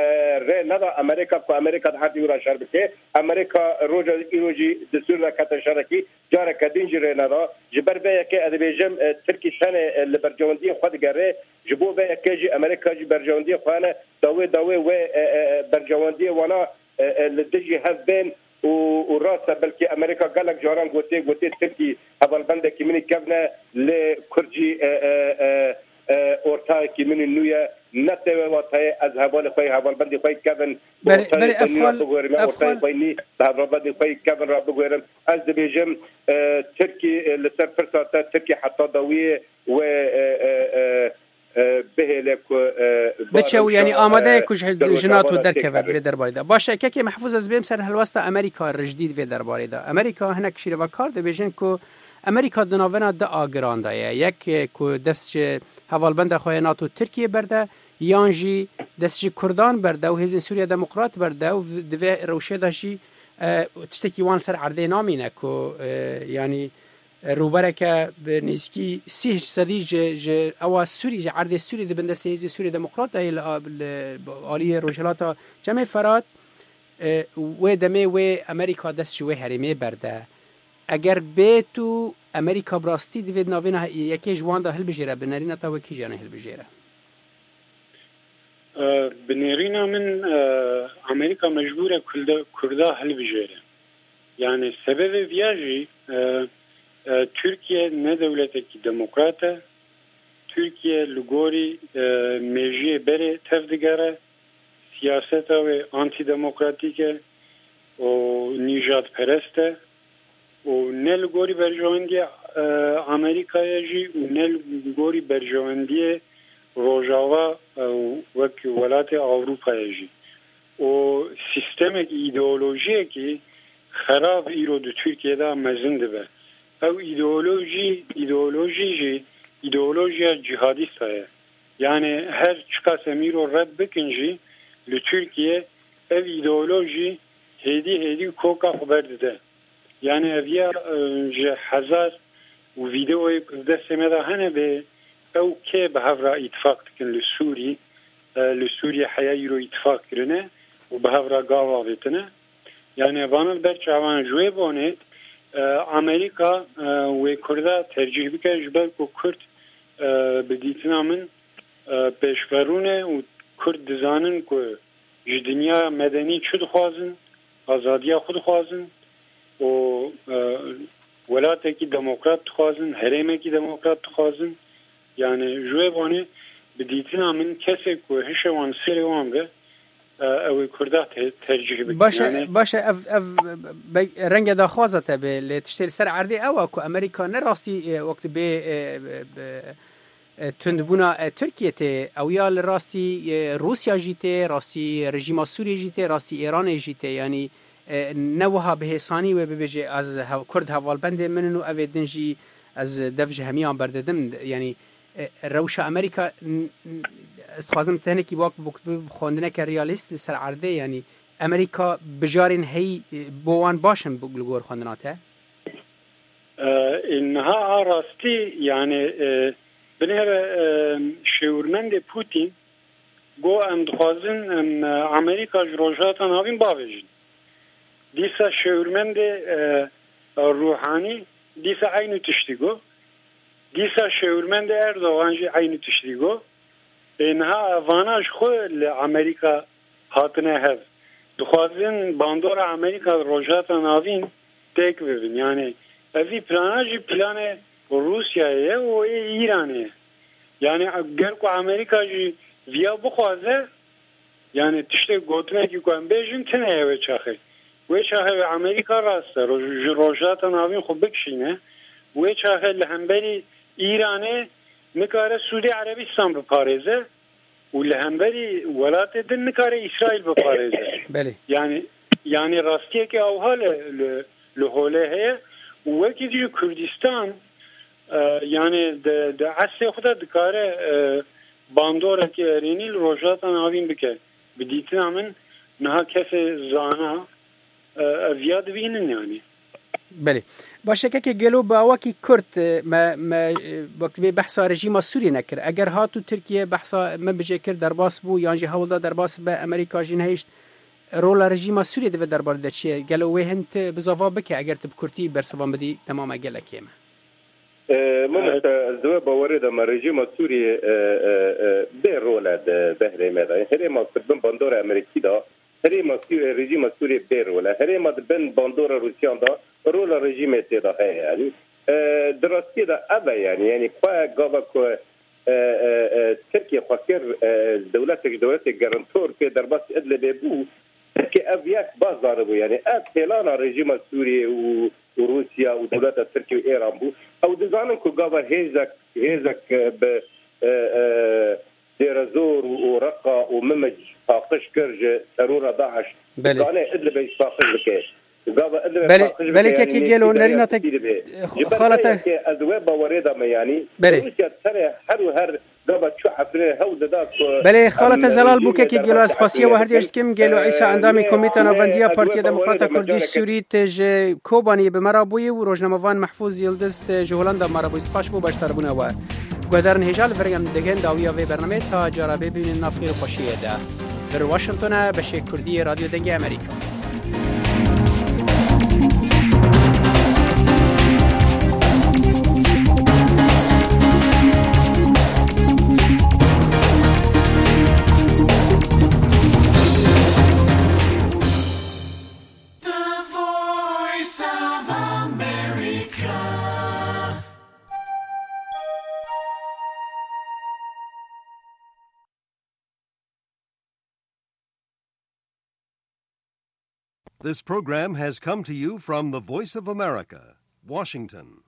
rê neda Amerîka ku Amerîka di herdî wira şer bike. Amerîka roja îro jî di Sûrî de kete şerekî, careke din jî rê neda. Ji ber vê yekê ez dibêjim, e, Tirkî tenê, e, li berjewendiyê xwe digere. Ji bo vê yekê jî Amerîka jî berjewendiyê xwe hene. Dawê dawê wê, e, e, e, berjewendiyê wana, e, e, li dijî hev bên û, û rast e, belkî Amerîka gelek caran gotiye, gotiye Tirkî hevalbendekî min î kevn e, lê Kurd jî, e, e, e, e, ortaxekî min î nû ye. Ne tê wê watayê ez hevalê xwe yê, hevalbendê xwe yê kevn, bi Berê, ortaxê berê xwe nî ev xal, re biguherime, ev ortaxê xal xwe yê nî bi hevalbendê xwe yê kevn re biguherim. Ez dibêjim, e, Tirkî, e, li ser pirsa te, Tirkî heta dawiyê wê, e, e, e, e, bihêle ku, e, Biçe û, yanî, amade ye ku ji, ji NATO derkeve di vê derbarê de. Baş e, kekê Mehfûz, ez bêm ser helwesta Amerîka rijdî di vê derbarê de. Amerîka, hinek şîrevekar dibêjin ku Amerîka di navbera du agiran de ye. Yek, e, ku dest ji hevalbenda xwe ya NATO Tirkiye berde, yan jî dest ji Kurdan berde û Hêzên Sûriya Demokrat berde û di vê rewşê de jî, e, tiştekî wan ser erdê namîne ku, e, yanî, rûbereke bi nêzîkî sî sedî ji, ji ewa Sûrî, ji erdê Sûrî di bin destê Hêzên Sûrî Demokrat de ye li, li aliyê Rojhilata Çemê Ferat, e, wê demê wê Amerîka dest ji wê herêmê berde. Eger bêt û Amerîka bi rastî divê di navêna yekê ji wan de hilbijêre, bi nerîna te wekî jî yanî hilbijêre? E, bi nêrîna min, e, Amerîka mecbûr e Kulda-, Kurda hilbijêre. Yani sebebê viya jî, e, e, Tirkiye ne dewletekî demokrat e. Tirkiye li gorî, e, mêjiyê berê tev digere. Siyaseta wê antidemokratîk e û nîjadperest e û ne li gorî berjewendiya, e, Amerîkayê jî û ne li gorî berjewendiyê Rojava, e, wek welatê Ewropayê jî. Û sîstemek, îdeolojiyekî xerab îro di Tirkiyê de mezin dibe. Ew îdeolojî, îdeolojî jî îdeolojiya cîhadîsta ye. Yani her çiqas em îro red bikin jî li Tirkiye ev îdeolojî hêdî hêdî koka xwe berdide. Yani ev ya, e, ji hezar û vîdeoyê ku di destê me de hene bê ew kê bi hev re îtifaq dikin li Sûrî, e, li Sûrî heya îro îtifaq kirine û bi hev re gav avêtine. Yani vana li ber çavan ji wê bonê, e, Amerîka, e, wê Kurda tercîh bike ji ber ku Kurd, e, bi dîtina min, e, pêşverûn e û Kurd dizanin ku ji dinya medenî çi dixwazin, azadiya xwe dixwazin û, e, welatekî demokrat dixwazin, herêmekî demokrat dixwazin. Yani ji wê bonê bi dîtina min kesê ku hişê wan serê wan be, e, ew ê Kurda te-, tercîh bikin. Baş e, Yani baş e, ev, ev be-, renge daxwaza te be, lê tiştê li ser erdê ew e ku Amerîka ne rastî, e, wek dibê, e, be-, be-, e, tundbûna, e, Tirkiye tê, ew ya li rastî, e, Rûsya jî tê, rastî rejîma Sûriyê jî tê, rastî Îranê jî tê. Yanî, e, ne wiha bi hêsanî wê bibêje, ez hev-, Kurd hevalbendê min in û ev ê din jî ez dev ji hemiyan berdidim. Yanî, e, rewşa Amerîka, n-, n-, ez dixwazim tenekî wak bi, bi, bi xwendineke realîst li ser erdê, yanî Amerîka bijarên heyî, e, bo wan baş in bi, li gor xwendina te? E, niha a rastî, yani, e, binêre, e, şêwirmendê Putin got, em dixwazin, em, e, Amerîka ji Rojhilata Navîn bavêjin. Dîsa şêwirmendê, e, Ruhanî dîsa eynû tiştî got. Dîsa şêwirmendê Erdogan jî eynû tiştî got. Ê niha vana ji xwe li Amerîka hatine hev. Dixwazin bandora Amerîka li Rojhilata Navîn têk bibin. Yani evî plana jî planê Rûsyayê ye û ê Îranê ye. Yani ger ku Amerîka jî viya bixwaze, yani tiştê gotinekî ku em bêjin tune ye wê çaxê. Wê çaxê wê Amerîka rast e, roj-, ji Rojhilata Navîn xwe bikişîne. Wê çaxê li hemberî Îranê nikare Sûdî Erebistan biparêze û li hemberî welatê din nikare Îsraîl biparêze. Belê. Yani, yani rastiyeke awha li, li, li holê heye û wekî dî Kurdistan, e, yani di, di eslê xwe de dikare, e, bandorekî erênî li Rojhilata Navîn bike. Bi dîtina min niha kesê zana, e, ev ya dibînin yani. Belê. Baş e, kekê gelo bi awakî kurt, e, me, me, e, wek dibê behsa rejîma Sûriyê nekir. Eger hat û Tirkiye behsa me bijê kir derbas bû, yan jî hewl da derbas be, Amerîka jî nehişt, rola rejîma Sûriyê di vê derbarê de çi ye? Gelo wê hin tu bizava bike, eger tu bi kurtî bersivan bidî, dema me gelek kêm e. E, Mamoste, ez di wê bawerê de me rejîma Sûriyê, e, e, e, bê rol e di behrê me de. Herêma Kurd bin bandora Amerîkî de, herêma Sû-, rejîma Sûriyê bê rol e. Herêma di bin bandora Rûsyan de rola rejîmê tê de heye, yanî. E, di rastiyê de ev e, yanî, yanî xwe gava ku, e, e, e, Tirkiye xwe kir, e, dewletek ji dewletê garantor pê derbasî Idlibê bû, Tirkiye ev yek baş zanibû, yanî ev pêlana rejîma Sûriyê û, û Rûsya û dewleta Tirkiye û Êran bû. Ew dizanin ku gava hêzek, hêzek, e, bi, e, e, Dêrezor û, û Reqa û Mimij paqij kir ji terora DAIŞ. Belê. Dikane Idlibê jî paqij bike. Gava Idlibê Belê, paqij belê bike, yanî kekê gelo, nêzîkî de nerîna te, yekîtî dibe. Ji ber xala vê te yekê ez wê bawerê de me, yanî Belê. Rûsya tenê her û her gava çû Efrînê hewl dida ku Belê, xala em te zelal bû, rejîmê kekê gelo, ez derbas spasiya we her diyeş dikim. Gelo Îsa, endamê Komîta Navendiya Partiya Demokrata Kurdî Sûrî, te ji Kobaniyê bi me re bûyî û rojnamevan Mehfûz Yildiz, te ji Holanda bi me re bûyî. Spas bo beşdarbûna we. Guhdarên hêja, li vir em digihên dawiya vê bernameyê, ta cara bê bimînin nav xêr û xweşiyê de. Vir Washington e, beşê Kurdî yê Radyo Dengê Amerîka. The Voice of America. This program has come to you from the Voice of America, Washington.